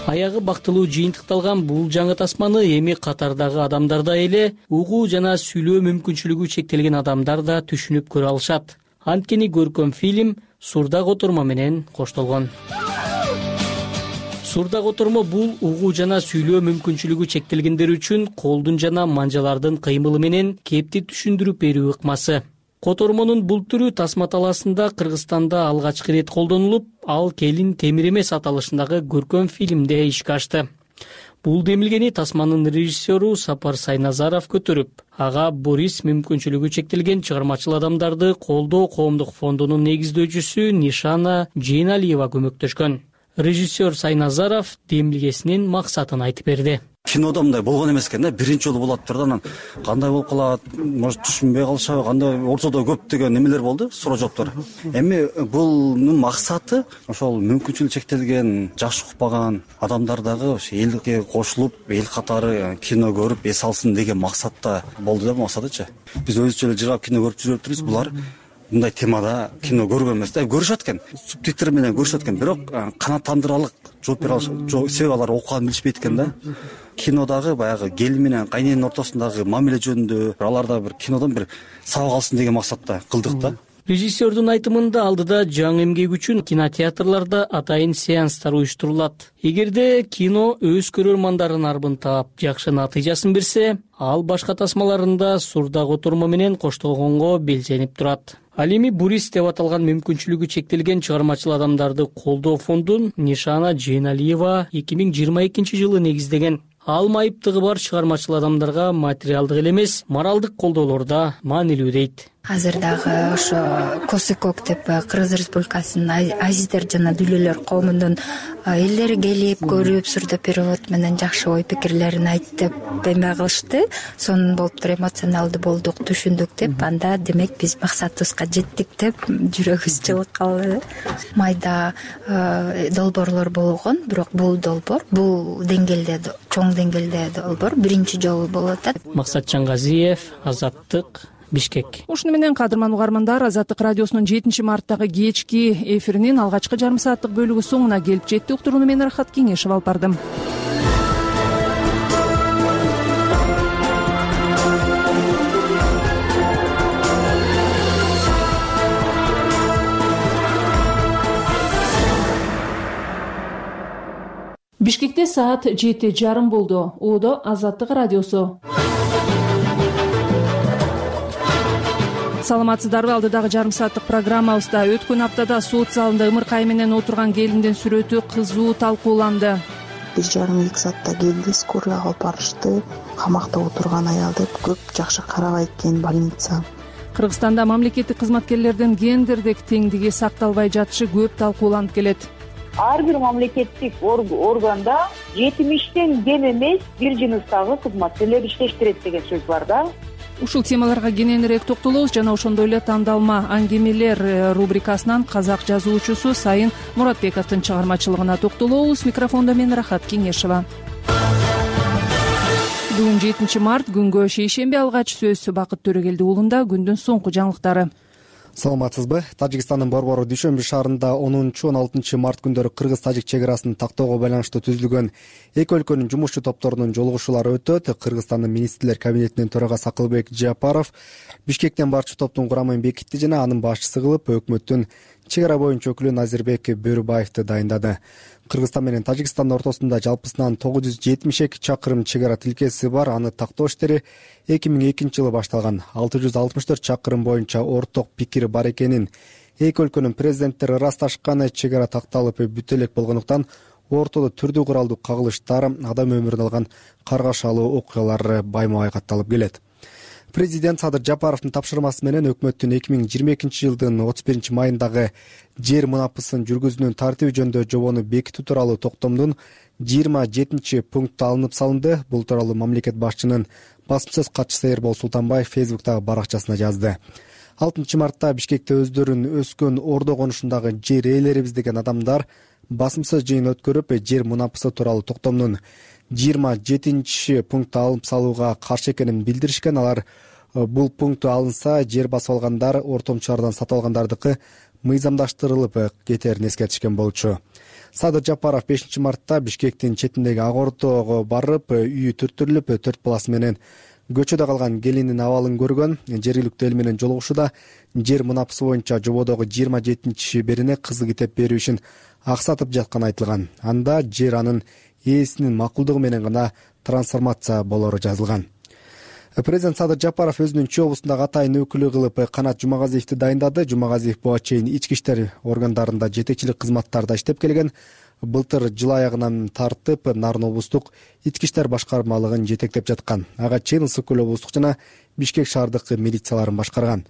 Аягы бактылуу жыйынтыкталган бул жаңы тасманы эми катардагы адамдарда эле угуу жана сүйлөө мүмкүнчүлүгү чектелген адамдар да түшүнүп көрө алышат. Анткени көркөм фильм Сурда котормо менен коштолгон. Сурда котормо бул угуу жана сүйлөө мүмкүнчүлүгү чектелгендер үчүн колдун жана манжалардын кыймылы менен кепти түшүндүрүп берүү ыкмасы. Котормонун бул түрү тасма талаасында Кыргызстанда алгачкы ирет колдонулуп, ал Келин темир эмес аталышындагы көркөм фильмде ишке ашты. Бул демилгени тасманын режиссеру Сапар Сайназаров көтөрүп, ага Борис мүмкүнчүлүгү чектелген чыгармачыл адамдарды колдоо коомдук фондунун негиздөөчүсү Нишана Жейналиева көмөктөшкөн. Режиссер Сайназаров демилгесинин максатын айтып берди.
Кинодо мындай болгон эмес экен да, биринчи жолу болот турду, анан кандай болуп калат, может түшүнбөй калышабы, кандай ортодо көп деген немелер болду, суроо жооптор. Эми бунун максаты ошол мүмкүнчүлүгү чектелген, жаш укпаган адамдар дагы элге кошулуп, эл катары кино көрүп эс алсын деген максатта болду да, максатычы. Биз өзүчө эле жыргап кино көрүп жүрөптүрбүз, булар мындай темада кино көргөн эмес да, көрүшөт экен, субтитр менен көрүшөт экен, бирок канааттандыралык жооп бере алыш, себеп алар окуганын билишпейт экен да. Кинодагы баягы келин менен кайненин ортосундагы мамиле жөнүндө аларда бир кинодон бир сабак алсын деген максатта кылдык да.
Режиссердун айтымында алдыда жаңы эмгек үчүн кинотеатрларда атайын сеанстар уюштурулат. Эгерде кино өз көрөрмандарын арбын таап, жакшы натыйжасын берсе, ал башка тасмаларында Сурда котормо менен коштолгонго белженип турат. Ал эми Борис деп аталган мүмкүнчүлүгү чектелген чыгармачыл адамдарды колдоо фондун Нишана Жейналиева эки миң жыйырма экинчи жылы негиздеген. Ал майыптыгы бар чыгармачыл адамдарга материалдык эле эмес, моралдык колдоолордо маанилүү дейт.
азыр дагы ошо Косыкок деп Кыргыз Республикасынын азиздер жана дүлөлөр коомунун элдери келип көрүп сүрдөп перевод менен жакшы ой пикирлерин айтып эме кылышты. Сонун болуп туруп эмоционалдуу болдук, түшүндүк деп, анда демек биз максатыбызга жеттик деп жүрөгүбүз жылып калды. Майда долбоорлор болгон, бирок бул долбоор бул деңгээлде, чоң деңгээлде долбоор биринчи жолу болуп атат.
Максатжан Газиев, Азаттык, Бишкек.
Ушуну менен кадырман угармандар, Азаттык радиосунун жетинчи марттагы кечки эфиринин алгачкы жарым сааттык бөлүгү соңуна келип жетти. Уктурууну мен Рахат Кеңешев алып бардым. Бишкекте саат жети жарым болду. Оодо Азаттык радиосу. Саламатсыздарбы? Алдыдагы жарым сааттык программабызда өткөн аптада сот залында ымыркай менен отурган келиндин сүрөтү кызуу талкууланды.
Бир жарым эки саатта келди, скорыйга алып барышты. Камакта отурган аял деп көп жакшы карабайт экен больница.
Кыргызстанда мамлекеттик кызматкерлердин гендердик теңдиги сакталбай жатышы көп талкууланып келет.
Ар бир мамлекеттик органда жетимиштен кем эмес бир жыныстагы кызматкерлер иштештирет деген сөз бар да.
Ушул темаларга кененирээк токтолобуз жана ошондой эле тандалма аңгемелер рубрикасынан казак жазуучусу Сайын Муратбековдун чыгармачылыгына токтолобуз. Микрофондо мен Рахат Кеңешева. Бүгүн жетинчи март, күнгө шейшемби. Алгач сөз Бакыт Төрөгелди уулунда. Күндүн соңку жаңылыктары.
Саламатсызбы? Тажикстандын Борбору Дүйшөмбү шаарында онунчу он алтынчы март күндөрү кыргыз-тажик чек арасын тактоого байланыштуу түзүлгөн эки өлкөнүн жумушчу топторунун жолугушуулары өтөт. Кыргызстандын министрлер кабинетинин төрагасы Акылбек Жапаров Бишкектен барчу топтун курамын бекитти жана анын башчысы кылып өкмөттүн чек ара боюнча өкүлү Назирбек Бөрүбаевди дайындады. Кыргызстан менен Тажикстандын ортосунда жалпысынан тогуз жүз жетимиш эки чакырым чек ара тилкеси бар. Аны тактоо иштери эки миң экинчи жылы башталган. алты жүз алтымыш төрт чакырым боюнча орток пикир бар экенин эки өлкөнүн президенттери ырасташкан. Чек ара такталып бүтө элек болгондуктан ортодо түрдүү куралдуу кагылыштар, адам өмүрүн алган каргашалуу окуялар байма бай катталып келет. Президент Садыр Жапаровдун тапшырмасы менен өкмөттүн эки миң жыйырма экинчи жылдын отуз биринчи майындагы жер мунапысын жүргүзүүнүн тартиби жөнүндө жобону бекитүү тууралуу токтомдун жыйырма жетинчи пункту алынып салынды. Бул тууралуу мамлекет башчынын басым сөз катчысы Эрбол Султанбаев Фейсбуктагы баракчасына жазды. алтынчы мартта Бишкекте өздөрүн өскөн ордо конушундагы жер ээлерибиз деген адамдар басым сөз жыйын өткөрүп, жер мунапысы тууралуу токтомдун жыйырма жетинчи пункту алып салууга каршы экенин билдиришкен. Алар бул пункту алынса, жер басып алгандар ортомчулардан сатып алгандардыкы мыйзамдаштырылып кетерин эскертишкен болчу. Садыр Жапаров бешинчи мартта Бишкектин четиндеги Ак Ордого барып, үйү түртүрүлүп, төрт баласы менен көчөдө калган келиндин абалын көргөн. Жергиликтүү эл менен жолугушууда жер мунапысы боюнча жободогу жыйырма жетинчи шиберине кызыл китеп берүү үчүн аксатып жатканы айтылган. Анда жер анын ээсинин макулдугу менен гана трансформация болору жазылган. Президент Садыр Жапаров өзүнүн Чүй облусундагы атайын өкүлү кылып Канат Жумагазиевди дайындады. Жумагазиев буга чейин ички иштер органдарында жетекчилик кызматтарда иштеп келген. Былтыр жыл аягынан тартып Нарын облустук ички иштер башкармалыгын жетектеп жаткан. Ага чейин Ысык көл облустук жана Бишкек шаардык милицияларын башкарган.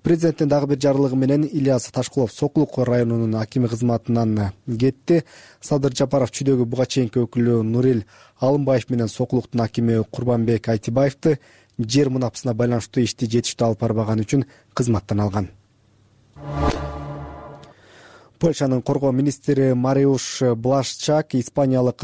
Президенттин дагы бир жарлыгы менен Ильяс Ташкулов Сокулук районунун акими кызматынан кетти. Садыр Жапаров Чүйдөгү буга чейинки өкүлү Нурил Алымбаев менен Сокулуктун акими Курбанбек Айтибаевди жер мунапысына байланыштуу ишти жетиштүү алып барбаганы үчүн кызматтан алган. Польшанын коргоо министри Мариуш Блашчак Испаниялык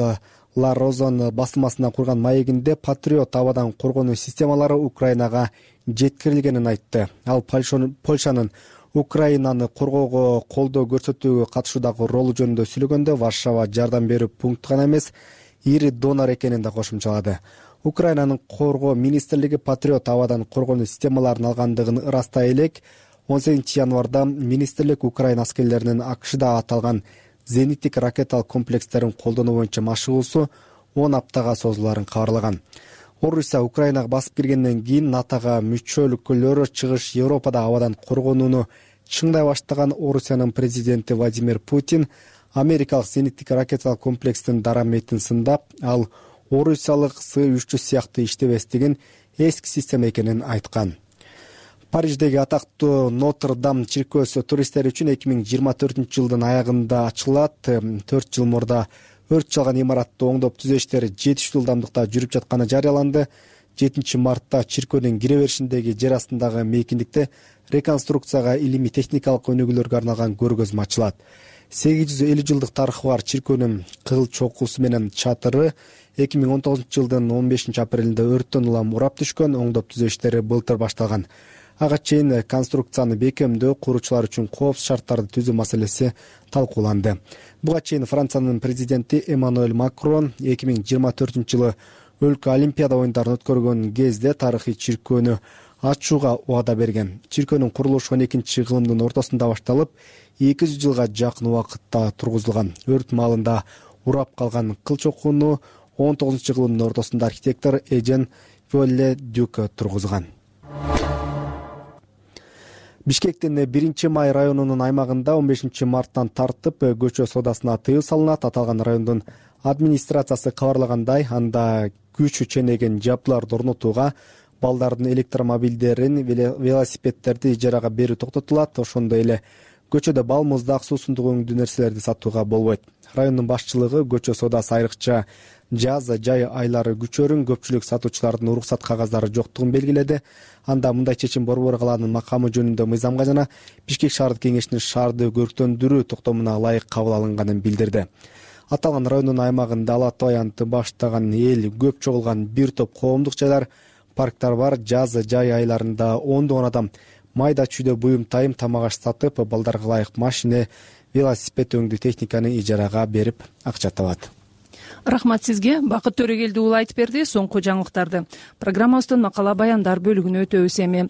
Ла Розон басылмасына курган маегинде Патриот абадан коргонуу системалары Украинага жеткирилгенин айтты. Ал Польшанын Украинаны коргоого колдоо көрсөтүүгө катышуудагы ролу жөнүндө сүйлөгөндө Варшава жардам берүү пункту гана эмес, ири донор экенин да кошумчалады. Украинанын коргоо министрлиги Патриот абадан коргонуу системаларын алгандыгын ырастай элек, он сегизинчи январда министрлик Украина аскерлеринин АКШда аталган зениттик ракеталык комплекстерин колдонуу боюнча машыгуусу он аптага созуларын кабарлаган. Орусия Украинага басып киргенден кийин НАТОга мүчө өлкөлөр чыгыш Европада абадан коргонууну чыңдай баштаган Орусиянын президенти Владимир Путин америкалык зениттик ракеталык комплекстин дараметин сындап, ал орусиялык С үч жүз сыяктуу иштебестигин эски система экенин айткан. Париждеги атактуу Нотр-Дам чиркөөсү туристтер үчүн эки миң жыйырма төртүнчү жылдын аягында ачылат. төрт жыл мурда өрт чалган имаратты оңдоп түзөө иштери жетиштүү ылдамдыкта жүрүп жатканы жарыяланды. жетинчи мартта чиркөөнүн кире беришиндеги жер астындагы мейкиндикте реконструкцияга илимий техникалык өнүгүүлөргө арналган көргөзмө ачылат. сегиз жүз элүү жылдык тарыхы бар чиркөөнүн кыл чокусу менен чатыры эки миң он тогузунчу жылдын он бешинчи апрелинде өрттөн улам урап түшкөн. Оңдоп түзөө иштери былтыр башталган. Ага чейин конструкцияны бекемдөө, куруучулар үчүн коопсуз шарттарды түзүү маселеси талкууланды. Буга чейин Франциянын президенти Эммануэль Макрон эки миң жыйырма төртүнчү жылы өлкө олимпиада оюндарын өткөргөн кезде тарыхый чиркөөнү ачууга убада берген. Чиркөөнүн курулушу он экинчи кылымдын ортосунда башталып, эки жүз жылга жакын убакытта тургузулган. Өрт маалында урап калган кыл чокууну он тогузунчу кылымдын ортосунда архитектор Эжен Виолlet-Дюк тургузган. Бишкектин биринчи май районунун аймагында он бешинчи марттан тартып көчө соодасына тыюу салынат. Аталган райондун администрациясы кабарлагандай, анда күчү ченеген жабдууларды орнотууга, балдардын электромобилдерин, велосипедтерди ижарага берүү токтотулат. Ошондой эле көчөдө бал, муздак, суусундук өңдүү нерселерди сатууга болбойт. Райондун башчылыгы көчө соодасы айрыкча жаз, жай айлары күчөрүн, көпчүлүк сатуучулардын уруксат кагаздары жоктугун белгиледи. Анда мындай чечим Борбор калаанын макамы жөнүндө мыйзамга жана Бишкек шаардык кеңешинин шаарды көрктөндүрүү токтомуна ылайык кабыл алынганын билдирди. Аталган райондун аймагында Алат аянты баштаган эл көп чогулган бир топ коомдук жайлар, парктар бар. Жаз, жай айларында ондогон адам майда чүйдө буюм тайым тамак аш сатып, балдарга ылайык машина, велосипед өңдүү техниканы ижарага берип акча табат.
Рахмат сизге. Бакыт Төрөгелди уулу айтып берди соңку жаңылыктарды. Программабыздын макала баяндар бөлүгүнө өтөбүз эми.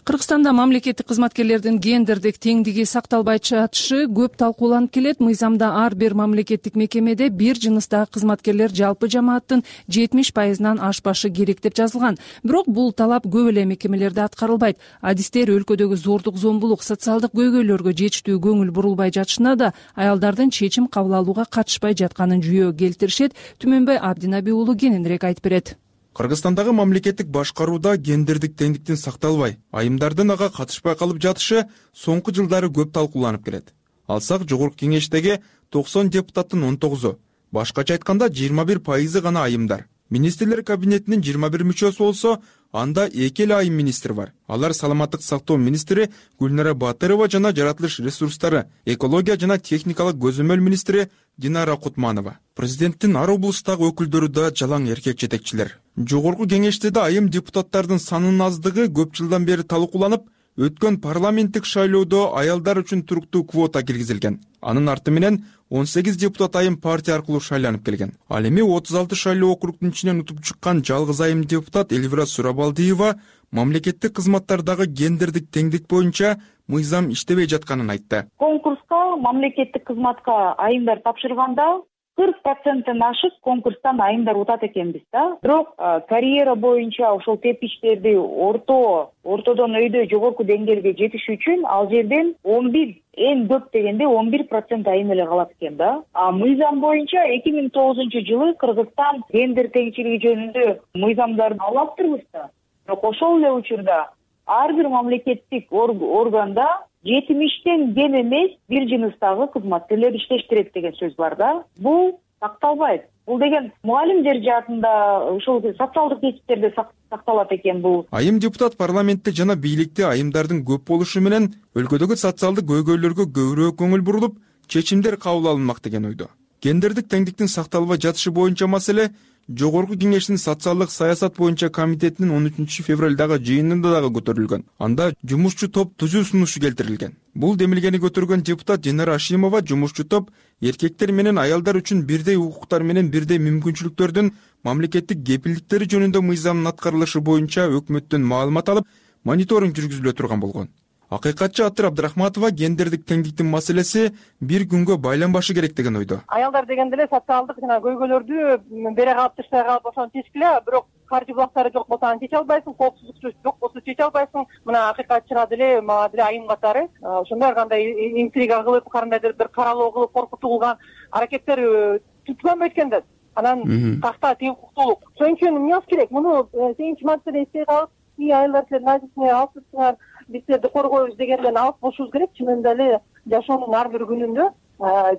Кыргызстанда мамлекеттик кызматкерлердин гендердик теңдиги сакталбай жатышы көп талкууланып келет. Мыйзамда ар бир мамлекеттик мекемеде бир жыныстагы кызматкерлер жалпы жамааттын жетимиш пайызынан ашпашы керек деп жазылган. Бирок бул талап көп эле мекемелерде аткарылбайт. Адистер өлкөдөгү зордук, зомбулук, социалдык көйгөйлөргө жетиштүү көңүл бурулбай жатышына да аялдардын чечим кабыл алууга катышпай жатканын жүйө келтиришет. Түмөнбай Абдинаби уулу кененирээк айтып берет.
Кыргызстандагы мамлекеттик башкарууда гендердик теңдиктин сакталбай, айымдардын ага катышпай калып жатышы соңку жылдары көп талкууланып келет. Алсак, жогорку кеңештеги токсон депутаттын он тогузу, башкача айтканда жыйырма бир пайызы гана айымдар. Министрлер кабинетинин жыйырма бир мүчөсү болсо, анда эки эле айым министр бар. Алар саламаттык сактоо министри Гүлнара Батырова жана жаратылыш ресурстары, экология жана техникалык көзөмөл министри Динара Кутманова. Президенттин ар облустагы өкүлдөрү да жалаң эркек жетекчилер. Жогорку кеңеште да айым депутаттардын санынын аздыгы көп жылдан бери талкууланып, өткөн парламенттик шайлоодо аялдар үчүн туруктуу квота киргизилген. Анын арты менен он сегиз депутат айым партия аркылуу шайланып келген. Ал эми отуз алты шайлоо округдун ичинен утуп чыккан жалгыз айым депутат Эльвира Сурабалдиева мамлекеттик кызматтардагы гендердик теңдик боюнча мыйзам иштебей жатканын айтты.
Конкурска мамлекеттик кызматка айымдар тапшырганда кырк проценттен ашык конкурстан айымдар утат экенбиз да. Бирок карьера боюнча ошол тепкичтерди орто, ортодон өйдө жогорку деңгээлге жетиш үчүн ал жерден он бир, эң көп дегенде он бир процент айым эле калат экен да. А мыйзам боюнча эки миң тогузунчу жылы Кыргызстан гендер теңчилиги жөнүндө мыйзамдарды алаптырбыз да. Бирок ошол эле учурда ар бир мамлекеттик органда жетимиштен кем эмес бир жыныстагы кызматкерлер иштеш керек деген сөз бар да. Бул сакталбайт. Бул деген мугалимдер жаатында, ушул социалдык кесиптерде сакталат экен бул.
Айым депутат парламентте жана бийликте айымдардын көп болушу менен өлкөдөгү социалдык көйгөйлөргө көбүрөөк көңүл бурулуп, чечимдер кабыл алынмак деген ойдо. Гендердик теңдиктин сакталбай жатышы боюнча маселе Жогорку кеңештин социалдык саясат боюнча комитетинин он үчүнчү февралдагы жыйынында дагы көтөрүлгөн. Анда жумушчу топ түзүү сунушу келтирилген. Бул демилгени көтөргөн депутат Динара Ашимова жумушчу топ эркектер менен аялдар үчүн бирдей укуктар менен бирдей мүмкүнчүлүктөрдүн мамлекеттик кепилдиктери жөнүндө мыйзамдын аткарылышы боюнча өкмөттөн маалымат алып, мониторинг жүргүзүлө турган болгон. Акыйкатчы Атыр Абдрахматова гендердик теңдиктин маселеси бир күнгө байланбашы керек деген ойдо.
Аялдар дегенде эле социалдык жана көйгөйлөрдү бере калып тыштай калып ошону чечкиле, бирок каржы булактары жок болсо аны чече албайсың, коопсуздук жок болсо чече албайсың. Мына акыйкатчыга деле, мага деле айым катары ошондой кандай интрига кылып, кандайдыр бир каралоо кылып коркутуу кылган аракеттер түткөнбөйт экен да. Анан такта тең укуктуулук. Ошон үчүн эмне кылыш керек? Муну сегизинчи мартта эстей калып, и аялдар силер назисине алып турсуңар, Бизди коргойбуз дегенден алыс болушубуз керек. Чынында эле жашоонун ар бир күнүндө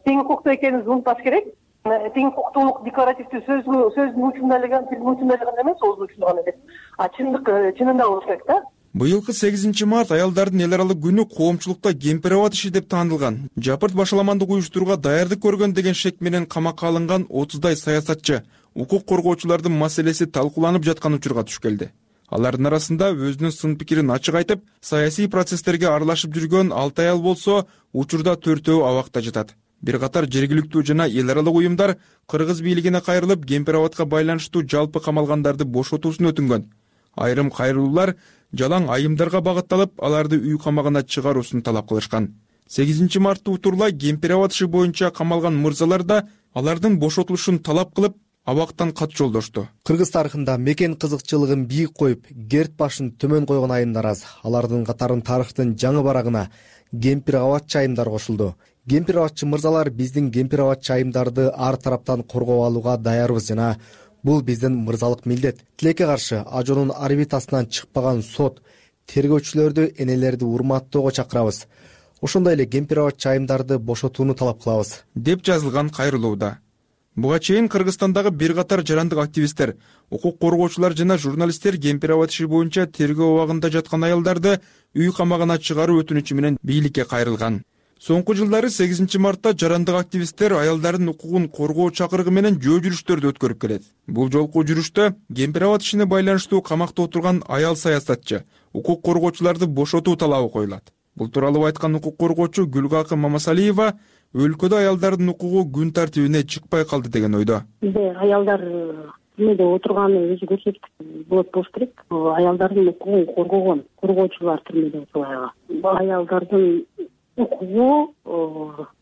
тең укуктуу экенибизди унутпаш керек. Тең укуктуулук декларативдүү сөзгө сөздүн учунда эле тилдин учунда эле гана эмес, оозун учунда гана эмес. А чындык чынында болуш керек да.
Быйылкы сегизинчи март аялдардын эл аралык күнү коомчулукта кемпир абад иши деп таанылган. Жапырт башаламандык уюштурууга даярдык көргөн деген шек менен камакка алынган отуздай саясатчы укук коргоочулардын маселеси талкууланып жаткан учурга туш келди. Алардын арасында өзүнүн сын пикирин ачык айтып, саясий процесстерге аралашып жүргөн алты аял болсо, учурда төртөө абакта жатат. Бир катар жергиликтүү жана эл аралык уюмдар кыргыз бийлигине кайрылып, кемпир абадка байланыштуу жалпы камалгандарды бошотуусун өтүнгөн. Айрым кайрылуулар жалаң айымдарга багытталып, аларды үй камагына чыгаруусун талап кылышкан. сегизинчи мартты утурлай кемпир абад иши боюнча камалган мырзалар да алардын бошотулушун талап кылып, абактан кат жолдошту.
Кыргыз тарыхында мекен кызыкчылыгын бийик коюп, керт башын төмөн койгон айымдар аз. Алардын катарын тарыхтын жаңы барагына кемпир абадчы айымдар кошулду. Кемпир абадчы мырзалар биздин кемпир абадчы айымдарды ар тараптан коргоп алууга даярбыз жана бул биздин мырзалык милдет. Тилекке каршы ажоонун орбитасынан чыкпаган сот, тергөөчүлөрдү, энелерди урматтоого чакырабыз. Ошондой эле кемпир абадчы айымдарды бошотууну талап кылабыз,
деп жазылган кайрылууда. Буга чейин Кыргызстандагы бир катар жарандык активисттер, укук коргоочулар жана журналисттер кемпир абад иши боюнча тергөө абагында жаткан аялдарды үй камагына чыгаруу өтүнүчү менен бийликке кайрылган. Соңку жылдары сегизинчи мартта жарандык активисттер аялдардын укугун коргоо чакырыгы менен жөө жүрүштөрдү өткөрүп келет. Бул жолку жүрүштө кемпир абад ишине байланыштуу камакта отурган аял саясатчы, укук коргоочуларды бошотуу талабы коюлат. Бул тууралуу айткан укук коргоочу Гүлгакы Мамасалиева өлкөдө аялдардын укугу күн тартибине чыкпай калды деген ойдо.
Бизде аялдар түрмөдө отурганы өзү көрсөткүч болот болуш керек. Аялдардын укугун коргогон коргоочулар түрмөдө отурган. Аялдардын укугу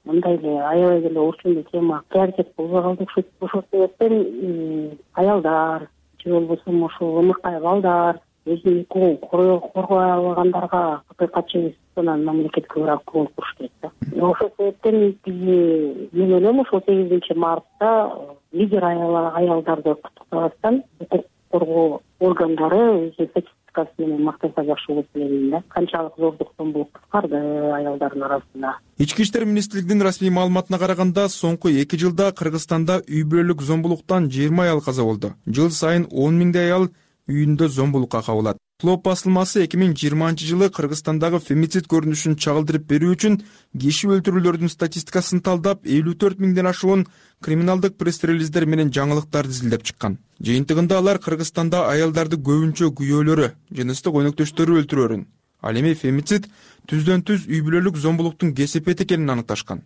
мындай эле аябай эле орчундуу тема приоритет болбой калды окшойт. Ошол себептен аялдар же болбосо ошол ымыркай балдар өзүнүн укугун коргой албагандарга акыйкатчы анан мамлекетке бирок көңүл буруш керек да. Ошол себептен биз мен ойлойм ошол сегизинчи мартта лидер аялдарды куттуктабастан укук коргоо органдары өзүнүн статистикасы менен мактаса жакшы болот деп ойлойм да. Канчалык зордук зомбулук кыскарды аялдардын арасында.
Ички иштер министрлигинин расмий маалыматына караганда, соңку эки жылда Кыргызстанда үй бүлөлүк зомбулуктан жыйырма аял каза болду. Жыл сайын он миңдей аял үйүндө зомбулукка кабылат. Клоп басылмасы эки миң жыйырманчы жылы Кыргызстандагы фемицид көрүнүшүн чагылдырып берүү үчүн киши өлтүрүүлөрдүн статистикасын талдап, элүү төрт миңден ашуун криминалдык пресс-релиздер менен жаңылыктарды изилдеп чыккан. Жыйынтыгында алар Кыргызстанда аялдарды көбүнчө күйөөлөрү, жыныстык өнөктөштөрү өлтүрөөрүн, ал эми фемицид түздөн түз үй бүлөлүк зомбулуктун кесепети экенин аныкташкан.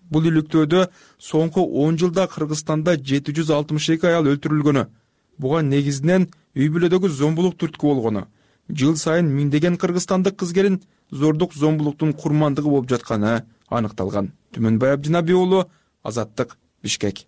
Бул иликтөөдө соңку он жылда Кыргызстанда жети жүз алтымыш эки аял өлтүрүлгөнү, буга негизинен үй бүлөдөгү зомбулук түрткү болгону, жыл сайын миңдеген кыргызстандык кыз келин зордук зомбулуктун курмандыгы болуп жатканы аныкталган. Түмөнбай Абдинаби уулу, Азаттык, Бишкек.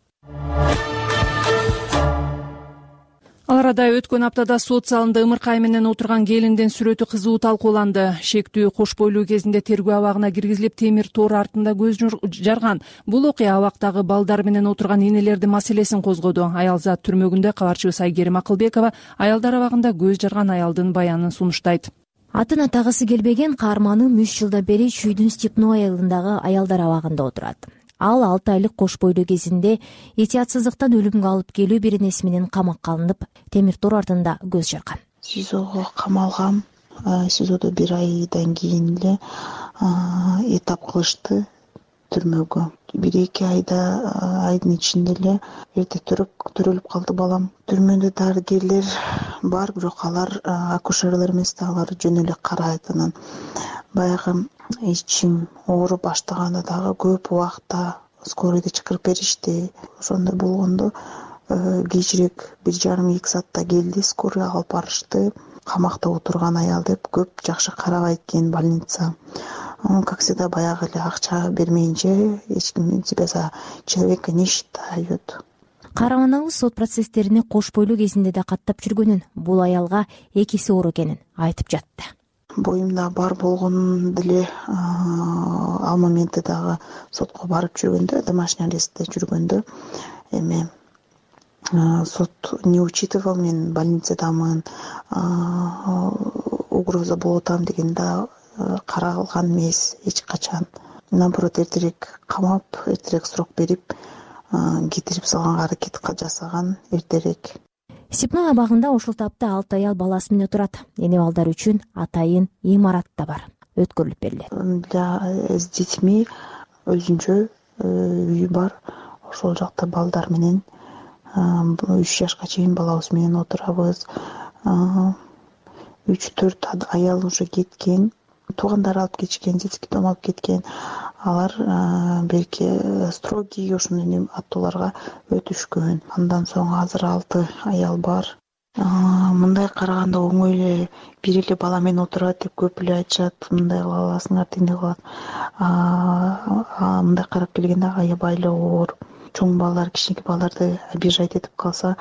Ал арада өткөн аптада сот залында ымыркай менен отурган келиндин сүрөтү кызуу талкууланды. Шектүү кош бойлуу кезинде тергөө абагына киргизилип, темир тор артында көз жарган. Бул окуя абактагы балдар менен отурган энелердин маселесин козгоду. Аялзат түрмөгүндө кабарчыбыз Айгерим Акылбекова аялдар абагында көз жарган аялдын баянын сунуштайт.
Атын атагысы келбеген каарманым үч жылдан бери Чүйдүн Степной айылындагы аялдар абагында отурат. Ал алты айлык кош бойлуу кезинде этиятсыздыктан өлүмгө алып келүү биренеси менен камакка алынып, темир тор артында көз жарган.
СИЗОго камалгам. СИЗОдо бир айдан кийин эле этап кылышты түрмөгө. Бир эки айда айдын ичинде эле эрте төрөп төрөлүп калды балам. Түрмөдө дарыгерлер бар, бирок алар акушерлер эмес да, алар жөн эле карайт. Анан баягы ичим ооруп баштаганда дагы көп убакта скорыйды чакырып беришти. Ошондой болгондо кечирээк бир жарым эки саатта келди, скорый алып барышты. Камакта отурган аял деп көп жакшы карабайт экен больница. Как всегда баягы эле акча бермейинче эч ким себя за человека не считают.
Каарманыбыз сот процесстерине кош бойлуу кезинде да каттап жүргөнүн, бул аялга экиси оор экенин айтып жатты.
Боюмда бар болгон деле ал моментте дагы сотко барып жүргөндө, домашний арестте жүргөндө эми сот не учитывал, мен больницадамын, угроза болуп атам деген да каралган эмес эч качан. Наоборот, эртерээк камап, эртерээк срок берип кетирип салганга аракет жасаган эртерээк.
Степной абагында ушул тапта алты аял баласы менен турат. Эне балдар үчүн атайын имарат да бар, өткөрүлүп берилет.
Для с детьми өзүнчө үй бар. Ошол жакта балдар менен үч жашка чейин балабыз менен отурабыз. үч төрт аял уже кеткен, туугандары алып кетишкен, детский дом алып кеткен. Алар белки строгий ошондой аттоолорго өтүшкөн. Андан соң азыр алты аял бар. Мындай караганда оңой эле бир эле бала менен отурат деп көп эле айтышат. Мындай кыла аласыңар, тиндей кылат. Мындай карап келгенде аябай эле оор. Чоң балдар, кичинекей балдарды обижать этип калса,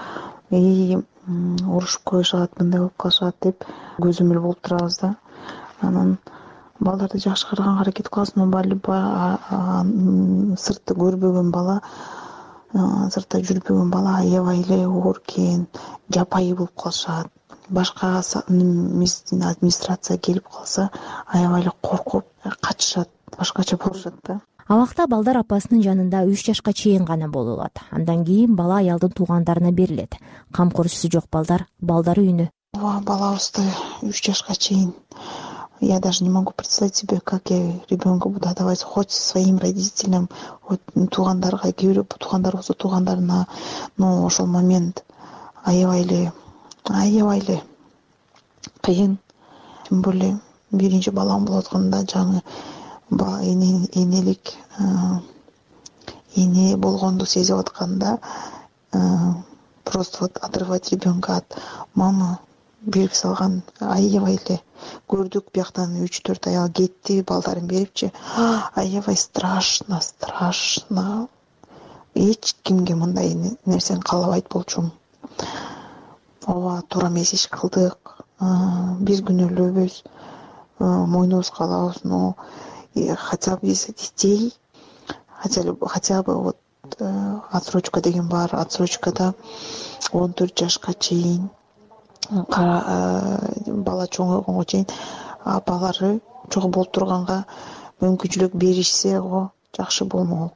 эй, урушуп коюшат, мындай болуп калышат деп көзөмөл болуп турабыз да. Анан балдарды жакшы караганга аракет кыласың, но сыртты көрбөгөн бала, сыртта жүрбөгөн бала аябай эле оор экен, жапайы болуп калышат. Башка администрация келип калса, аябай эле коркуп качышат, башкача болушат да.
Абакта балдар апасынын жанында үч жашка чейин гана боло алат. Андан кийин бала аялдын туугандарына берилет. Камкорчусу жок балдар балдар үйүнө.
Балабызды үч жашка чейин. Я даже не могу представить себе, как я ребенка буду отдавать хоть своим родителям, хоть туугандарга, туугандар болсо туугандарына. Но ошол момент аябай эле, аябай эле кыйын. Тем более биринчи балам болуп атканда жаңы энелик эне болгонду сезип атканда просто вот отрывать ребенка от мамы берип салган аябай эле. Көрдүк бияктан үч төрт аял кетти, балдарын берипчи. Аябай страшно, страшно. Эч кимге мындай нерсени каалабайт болчумун. Ооба, туура эмес иш кылдык. Биз күнөөлөбүз, мойнубузга алабыз, но хотя бы из детей, хотя бы вот отсрочка деген бар, отсрочкада он төрт жашка чейин бала чоңойгонго чейин апалары чогуу болуп турганга мүмкүнчүлүк беришсе го жакшы болмок.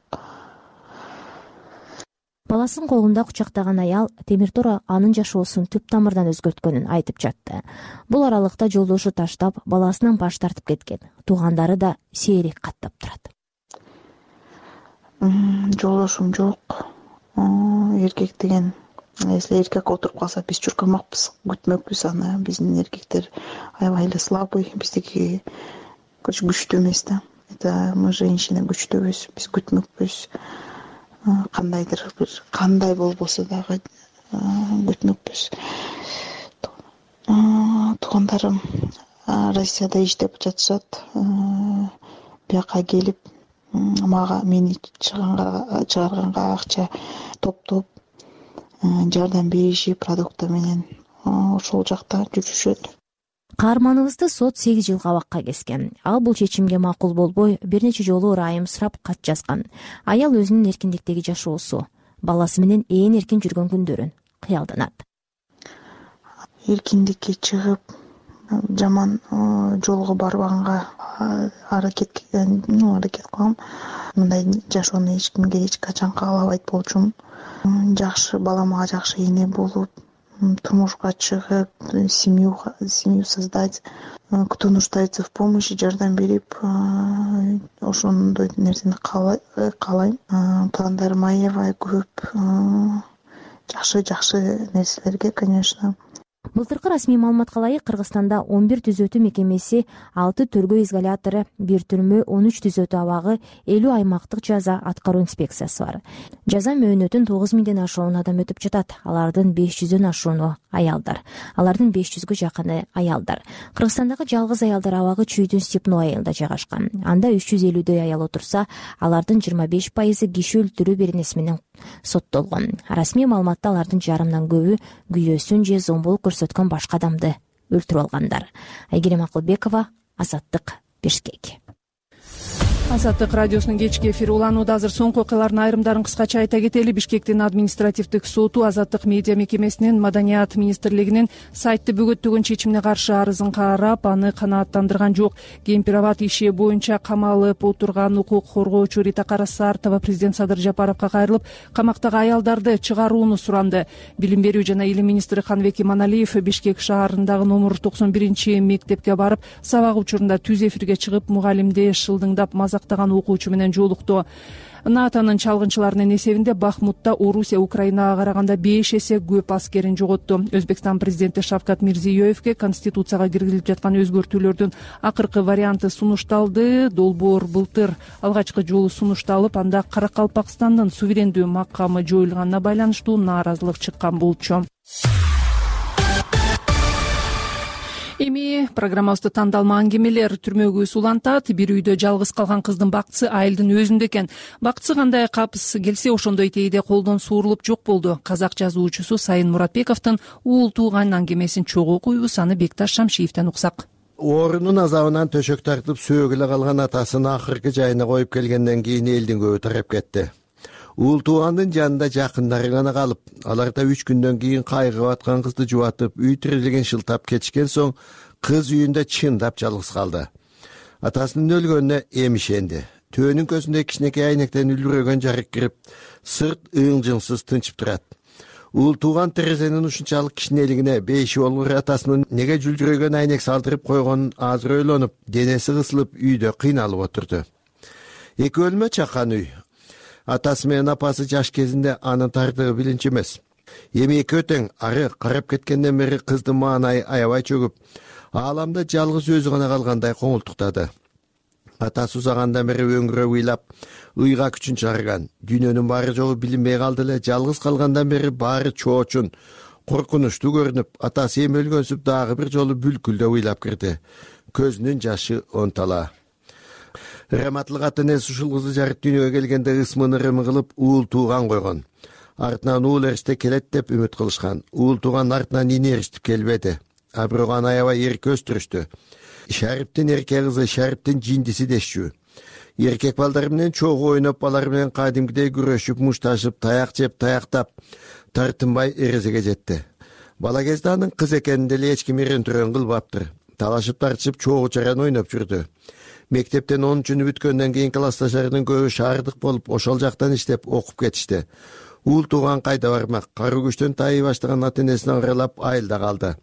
Баласын колунда кучактаган аял темир тор анын жашоосун түп тамырдан өзгөрткөнүн айтып жатты. Бул аралыкта жолдошу таштап, баласынан баш тартып кеткен. Туугандары да сейрек каттап турат.
Жолдошум жок. Эркек деген, если эркек отуруп калса, биз чуркамакпыз, күтмөкпүз аны. Биздин эркектер аябай эле слабый, биздики күчтүү эмес да. Это мы женщины күчтүүбүз, биз күтмөкпүз. Кандайдыр бир кандай болбосо дагы күтмөкпүз. Туугандарым Россияда иштеп жатышат. Бияка келип мага мени чыгарганга акча топтоп жардам беришип продукты менен ошол жакта жүрүшөт.
Каарманыбызды сот сегиз жыл кабакка кескен. Ал бул чечимге макул болбой, бир нече жолу ырайым сурап кат жазган. Аял өзүнүн эркиндиктеги жашоосу, баласы менен ээн эркин жүргөн күндөрүн кыялданат.
Эркиндикке чыгып, жаман жолго барбаганга аракет аракет кылам. Мындай жашоону эч кимге эч качан каалабайт болчумун. Жакшы балама жакшы эне болуп, турмушка чыгып, семью семью создать, кто нуждается в помощи, жардам берип, ошондой нерсени каалайм. Пландарым аябай көп, жакшы жакшы нерселерге, конечно.
Былтыркы расмий маалыматка ылайык Кыргызстанда он бир түзөтүү мекемеси, алты төргөө изолятору, бир түрмө, он үч түзөтүү абагы, элүү аймактык жаза аткаруу инспекциясы бар. Жаза мөөнөтүн тогуз миңден ашуун адам өтүп жатат. Алардын беш жүздөн ашууну аялдар. Алардын беш жүзгө жакыны аялдар. Кыргызстандагы жалгыз аялдар абагы Чүйдүн Степной айылында жайгашкан. Анда үч жүз элүүдөй аял отурса, алардын жыйырма беш пайызы киши өлтүрүү беренеси менен соттолгон. Расмий маалыматта алардын жарымдан көбү күйөөсүн же зомбулук көрсөткөн башка адамды өлтүрүп алгандар. Айгерим Акылбекова, Азаттык, Бишкек.
Азаттык радиосунун кечки эфири уланууда. Азыр соңку окуялардын айрымдарын кыскача айта кетели. Бишкектин административдик соту Азаттык медиа мекемесинин Маданият министрлигинин сайтты бөгөттөгөн чечимине каршы арызын карап, аны канааттандырган жок. Кемпир-абад иши боюнча камалып отурган укук коргоочу Рита Карасартова президент Садыр Жапаровго кайрылып, камактагы аялдарды чыгарууну суранды. Билим берүү жана илим министри Канбек Иманалиев Бишкек шаарындагы номер токсон биринчи мектепке барып, сабак учурунда түз эфирге чыгып, мугалимди шылдыңдап мазактаган окуучу менен жолукту. НАТОнун чалгынчыларынын эсебинде Бахмутта Орусия Украинага караганда беш эсе көп аскерин жоготту. Өзбекстан президенти Шавкат Мирзиёевке Конституцияга киргизилип жаткан өзгөртүүлөрдүн акыркы варианты сунушталды. Долбоор былтыр алгачкы жолу сунушталып, анда Каракалпакстандын суверендүү макамы жоюлганына байланыштуу нааразылык чыккан болчу. Эми программабызды тандалма аңгемелер түрмөгүбүз улантат. Бир үйдө жалгыз калган кыздын бактысы айылдын өзүндө экен. Бактысы кандай капыс келсе ошондой тейде колдон суурулуп жок болду. Казак жазуучусу Сайын Муратбековдун уул тууган аңгемесин чогуу окуйбуз, аны Бекташ Шамшиевден уксак.
Оорунун азабынан төшөк тартып сөөг эле калган атасын акыркы жайына коюп келгенден кийин элдин көбү тарап кетти. Уул туугандын жанында жакындары гана калып, алар да үч күндөн кийин кайгып аткан кызды жубатып, үй тирелеген шылтап кетишкен соң кыз үйүндө чындап жалгыз калды. Атасынын өлгөнүнө эми ишенди. Төөнүн көзүндө кичинекей айнектен үлбүрөгөн жарык кирип, сырт ың-жыңсыз тынчып турат. Уул тууган терезенин ушунчалык кичинелигине бейиши болгур атасынын неге жүлдүрөгөн айнек салдырып койгонун азыр ойлонуп, денеси кысылып үйдө кыйналып отурду. Эки бөлмө чакан үй. Атасы менен апасы жаш кезинде анын тардыгы билинчи эмес. Эми экөө тең ары карап кеткенден бери кыздын маанайы аябай чөгүп, ааламда жалгыз өзү гана калгандай коңултуктады. Атасы узагандан бери өңгүрөп ыйлап, ыйга күчүн чыгарган. Дүйнөнүн баары жогу билинбей калды эле, жалгыз калгандан бери баары чоочун, коркунучтуу көрүнүп, атасы эми өлгөнсүп дагы бир жолу бүлкүлдөп ыйлап кирди. Көзүнүн жашы онтала. Раматлык атын эс ушул кызы жарык дүйнөгө келгенде ысмын ырымы кылып уул тууган койгон. Артынан уул эриште келет деп үмүт кылышкан. Уул тууган артынан ини эриштип келбеди. А бирок аны аябай эрке өстүрүштү. Шариптин эрке кызы, Шариптин жиндиси дешчү. Эркек балдары менен чогуу ойноп, алар менен кадимкидей күрөшүп, мушташып, таяк жеп, таяктап, тартынбай эрезеге жетти. Бала кезде анын кыз экенин деле эч ким эрентүрөн кылбаптыр. Талашып тартышып, чогуу чаран ойноп жүрдү. Мектептен онунчуну бүткөндөн кийин классташтарынын көбү шаардык болуп, ошол жактан иштеп окуп кетишти. Уул тууган кайда бармак? Кары күчтөн тайый баштаган ата энесин аралап айылда калды.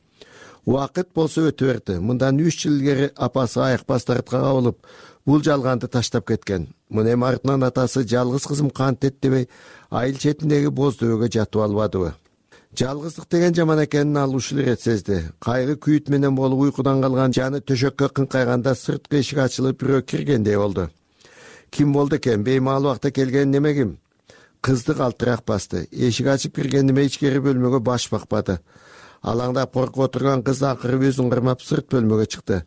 Убакыт болсо өтө берди. Мындан үч жыл илгери апасы айыкпас дартка кабылып, бул жалганды таштап кеткен. Мына эми артынан атасы жалгыз кызым кантет дебей, айыл четиндеги боз дөбөгө жатып албадыбы? Жалгыздык деген жаман экенин ал ушул ирет сезди. Кайгы күйүт менен болуп уйкудан калган жаны төшөккө кыңкайганда сырткы эшик ачылып бирөө киргендей болду. Ким болду экен? Беймал убакта келген неме ким? Кызды калтырак басты. Эшик ачып кирген неме ичкери бөлмөгө баш бакпады. Алаңдап коркуп отурган кыз акыры өзүн кырмап сырт бөлмөгө чыкты.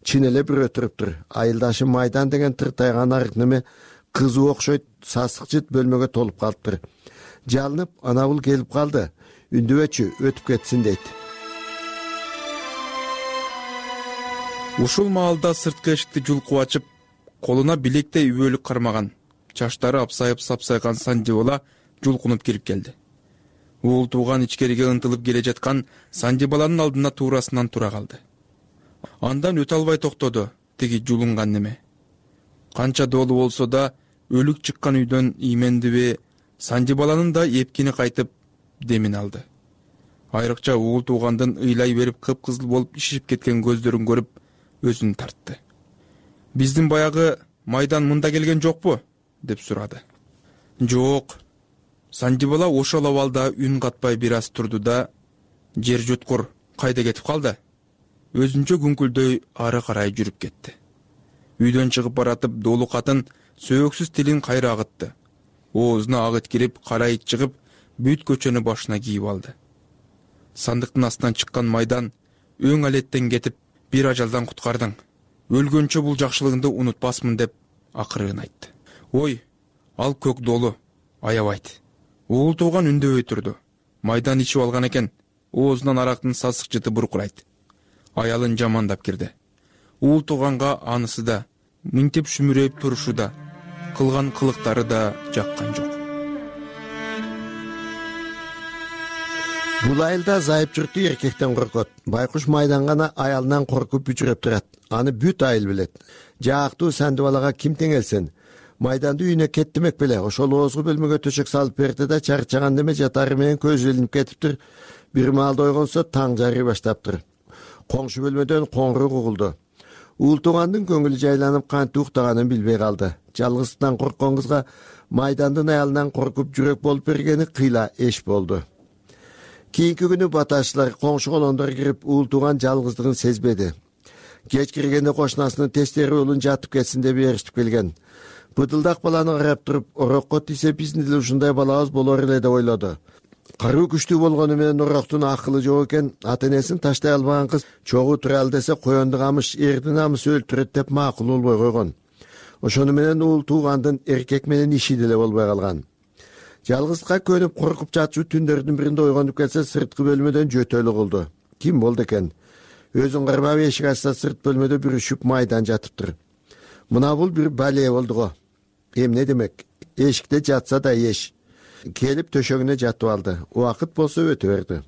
Чын эле бирөө туруптур. Айылдашы Майдан деген тыртайган арык неме кызы окшойт сасык жыт бөлмөгө толуп калыптыр. Жалынып, ана бул келип калды. Үндүбөчү, өтүп кетсин дейт.
Ушул маалда сырткы эшикти жулкуп ачып, колуна билектей үбөлүк кармаган, чачтары апсайып сапсайган Сандибала жулкунуп кирип келди. Уул тууган ичкериге ынтылып келе жаткан Сандибаланын алдына туурасынан тура калды. Андан өтө албай токтоду тиги жулунган неме. Канча долу болсо да өлүк чыккан үйдөн иймендиби, Сандибаланын да эпкини кайтып демин алды. Айрыкча уул туугандын ыйлай берип кыпкызыл болуп шишип кеткен көздөрүн көрүп өзүн тартты. Биздин баягы Майдан мында келген жокпу? Деп сурады. Жок. Сандибала ошол абалда үн катпай бир аз турду да, жер жуткур кайда кетип калды? Өзүнчө күңкүлдөй ары карай жүрүп кетти. Үйдөн чыгып баратып, долу катын сөөксүз тилин кайра агытты. Оозуна агыт кирип, кара ит чыгып, бүт көчөнү башына кийип алды. Сандыктын астынан чыккан Майдан өң алеттен кетип, бир ажалдан куткардың. Өлгөнчө бул жакшылыгыңды унутпасмын деп акырын айтты. Ой, ал көк долу, аябайт. Уул тууган үндөбөй турду. Майдан ичип алган экен. Оозунан арактын сасык жыты буркурайт. Аялын жамандап кирди. Уул тууганга анысы да мынтип шүмүрөйүп турушу да, кылган кылыктары да жаккан жок.
Бул айылда зайыпчурту эркектен коркот. Байкуш майдан гана аялынан коркуп бүчүрөп турат. Аны бүт айыл билет. Жаактуу Сандыбалага ким теңелсен, майданды үйүнө кет демек беле. Ошол оозгу бөлмөгө төшөк салып берди да чарчаган деме жатары менен көзү илинип кетиптир. Бир маалда ойгонсо таң жарый баштаптыр. Коңшу бөлмөдөн коңгуроо угулду. Уултугандын көңүлү жайланып кантип уктаганын билбей калды. Жалгыздыктан корккон кызга майдандын аялынан коркуп жүрөк болуп бергени кыйла эш болду. Кийинки күнү баташчылар коңшу колондор кирип уултуган жалгыздыгын сезбеди. Кеч киргенде кошунасынын тестери улун жатып кетсин деп ээрчитип келген. Быдылдак баланы карап туруп, орокко тийсе биздин деле ушундай балабыз болор эле деп ойлоду. Каруу күчтүү болгону менен ороктун акылы жок экен. Ата-энесин таштай албаган кыз чогуу туралы десе коёнду камыш, эрдин намысы өлтүрөт деп макул болбой койгон. Ошону менен уултугандын эркек менен иши деле болбой калган. Жалгыздыкка көнүп коркуп жатчу түндөрдүн биринде ойгонуп келсе, сырткы бөлмөдөн жөтөлү угулду. Ким болду экен? Өзүн кармап эшик ачса, сырт бөлмөдө бүрүшүп майдан жатыптыр. Мына бул бир бале болду го. Эмне демек? Эшикте жатса да еш. Келип төшөгүнө жатып алды. Убакыт болсо өтө берди.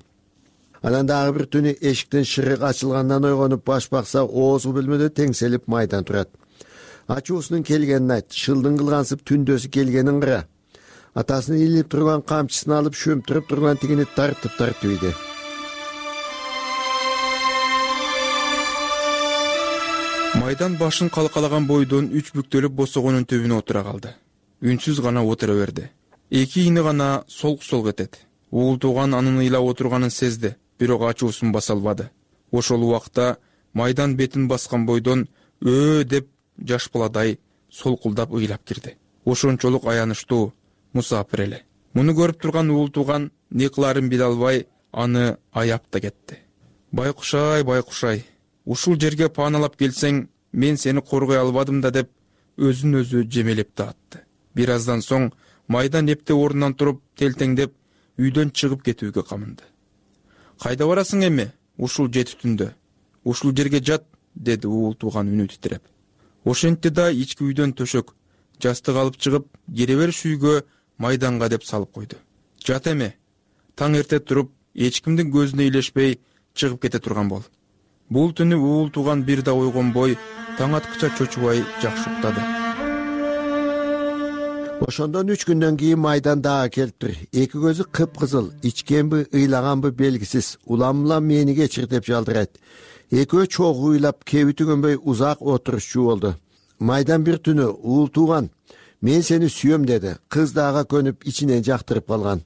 Анан дагы бир түнү эшиктин шырыгы ачылгандан ойгонуп баш бакса, оозу бөлмөдө теңселип майдан турат. Ачуусунун келгенин айт, шылдың кылгансып түндөсү келгенин кара. Атасынын илип турган камчысын алып шөмтүрүп турган тигини тартып тартып ийди.
Майдан башын калкалаган бойдон үч бүктөлүп босогонун төбүнө отура калды. Үнсүз гана отура берди. Эки ини гана солк-солк этет. Уултуган анын ыйлап отурганын сезди, бирок ачуусун баса албады. Ошол убакта майдан бетин баскан бойдон өө деп жаш баладай солкулдап ыйлап кирди. Ошончолук аянычтуу, мусапир эле. Муну көрүп турган уултуган не кыларын биле албай аны аяп да кетти. Байкушай, байкушай, ушул жерге пааналап келсең, мен сени коргой албадым да деп өзүн өзү жемелеп да атты. Бир аздан соң майдан эпте ордунан туруп, телтеңдеп, үйдөн чыгып кетүүгө камынды. Кайда барасың эми? Ушул жети түндө. Ушул жерге жат, деди уултуган үнү титиреп. Ошентти да ички үйдөн төшөк, жастык алып чыгып, кире бериш үйгө майданга деп салып койду. Жат эми. Таң эрте туруп, эч кимдин көзүнө илешпей чыгып кете турган бол. Бул түнү уултуган бир да ойгонбой, таң аткыча чочубай жакшы уктады.
Ошондон үч күндөн кийин майдан дагы келиптир. Эки көзү кыпкызыл, ичкенби, ыйлаганбы белгисиз, улам-улам мени кечир деп жалдырайт. Экөө чогуу ыйлап, кеби түгөнбөй узак отурушчу болду. Майдан бир түнү уултуган, мен сени сүйөм деди. Кыз дагы көнүп ичинен жактырып калган.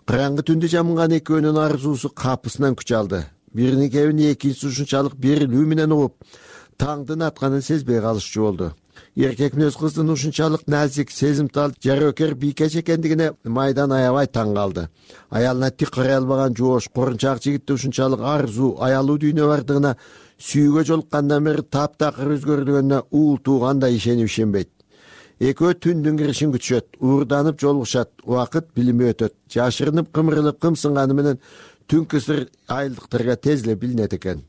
Караңгы түндү жамынган экөөнүн арзуусу капысынан күч алды. Бирини кебин экинчиси ушунчалык берилүү менен угуп, таңдын атканын сезбей калышчу болду. Эркек мүнөз кыздын ушунчалык назик, сезимтал, жарөкер бийкеч экендигине майдан аябай таң калды. Аялына тик карай албаган жоош, корунчак жигитте ушунчалык арзуу, аялуу дүйнө бардыгына, сүйүүгө жолуккандан бери таптакыр өзгөрдүгөнүнө уултуган да ишенип ишенбейт. Экөө түндүн киришин күтүшөт, уурданып жолугушат, убакыт билинбей өтөт. Жашырынып, кымырылып, кымсынганы менен түнкү сыр айылдыктарга тез эле билинет экен.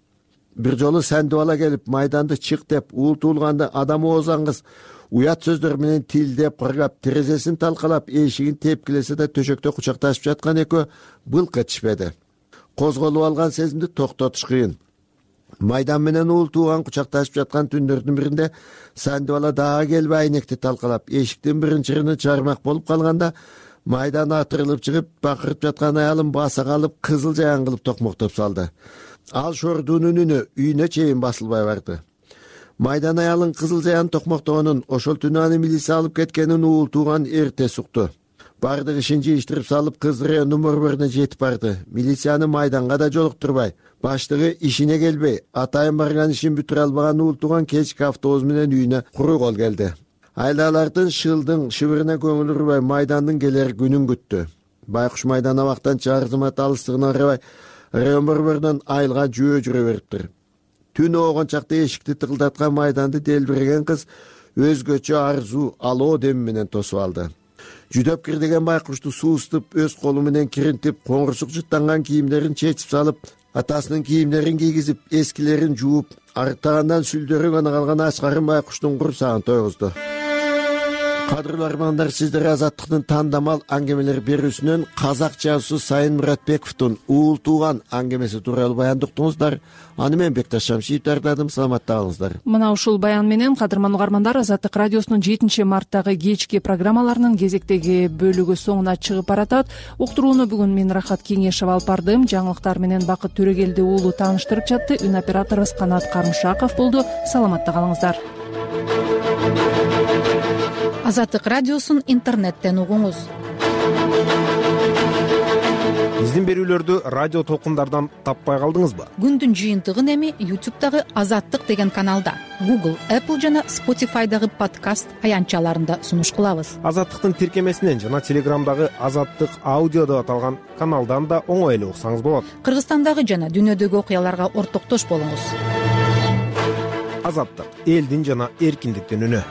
Бир жолу Сандыбала келип, майданды чык деп, уултуулганды адам оозан кыз уят сөздөр менен тилдеп, кыргап, терезесин талкалап, эшигин тепкилесе да төшөктө кучакташып жаткан экөө былк этишпеди. Козголуп алган сезимди токтотуш кыйын. Майдан менен уултууган кучакташып жаткан түндөрдүн биринде Сандыбала дагы келип айнекти талкалап, эшиктин биринчи чырыны чармак болуп калганда, майдан атырылып чыгып, бакырып жаткан аялын баса калып, кызыл жаян кылып токмоктоп салды. Ал шордуунун үнү үйүнө чейин басылбай барды. Майдан аялын кызыл жаян токмоктогонун, ошол түнү аны милиция алып кеткенин уултуган эрте сукту. Бардык ишин жыйыштырып салып, кыз райондун борборуна жетип барды. Милицияны майданга да жолуктурбай, баштыгы ишине келбей, атайын барган ишин бүтүрө албаган уултуган кечки автобус менен үйүнө куру кол келди. Айлалардын шылдың шыбырына көңүл урбай, майдандын келер күнүн күттү. Байкуш майдан абактан чарзымат алыстыгына карабай, район борборунан айылга жөө жүрө бериптир. Түн оогон чакта эшикти тыгылдаткан майданды делбиреген кыз өзгөчө арзуу алоо деми менен тосуп алды. Жүдөп кир деген байкушту сууступ, өз колу менен киринтип, коңурсук жыттанган кийимдерин чечип салып, атасынын кийимдерин кийгизип, эскилерин жууп, арыктагандан сүлдөрү гана калган Аскарын байкуштун курсагын тойгузду. Кадырлуу армандар, сиздер Азаттыктын тандамал аңгемелер берүүсүнөн казак жазуусу Сайын Муратбековдун Уул тууган аңгемеси тууралуу баяндыктыңыздар. Аны мен Бекташ Шамшиев даярдадым. Саламатта калыңыздар.
Мына ушул баян менен кадырман угармандар, Азаттык радиосунун жетинчи марттагы кечки программаларынын кезектеги бөлүгү соңуна чыгып баратат. Уктурууну бүгүн мен Рахат Кеңешева алып бардым. Жаңылыктар менен Бакыт Төрөгелди уулу тааныштырып жатты. Үн операторубуз Канат Карымшаков болду. Саламатта калыңыздар.
Азаттык радиосун интернеттен угуңуз.
Биздин берүүлөрдү радио толкундардан таппай калдыңызбы?
Күндүн жыйынтыгын эми ютубтагы Азаттык деген каналда, Google, Apple жана Spotify'дагы подкаст аянтчаларында сунуш кылабыз.
Азаттыктын тиркемесинен жана Телеграмдагы Азаттык аудио деп аталган каналдан да оңой эле уксаңыз болот.
Кыргызстандагы жана дүйнөдөгү окуяларга ортоктош болуңуз.
Азаттык — элдин жана эркиндиктин үнү.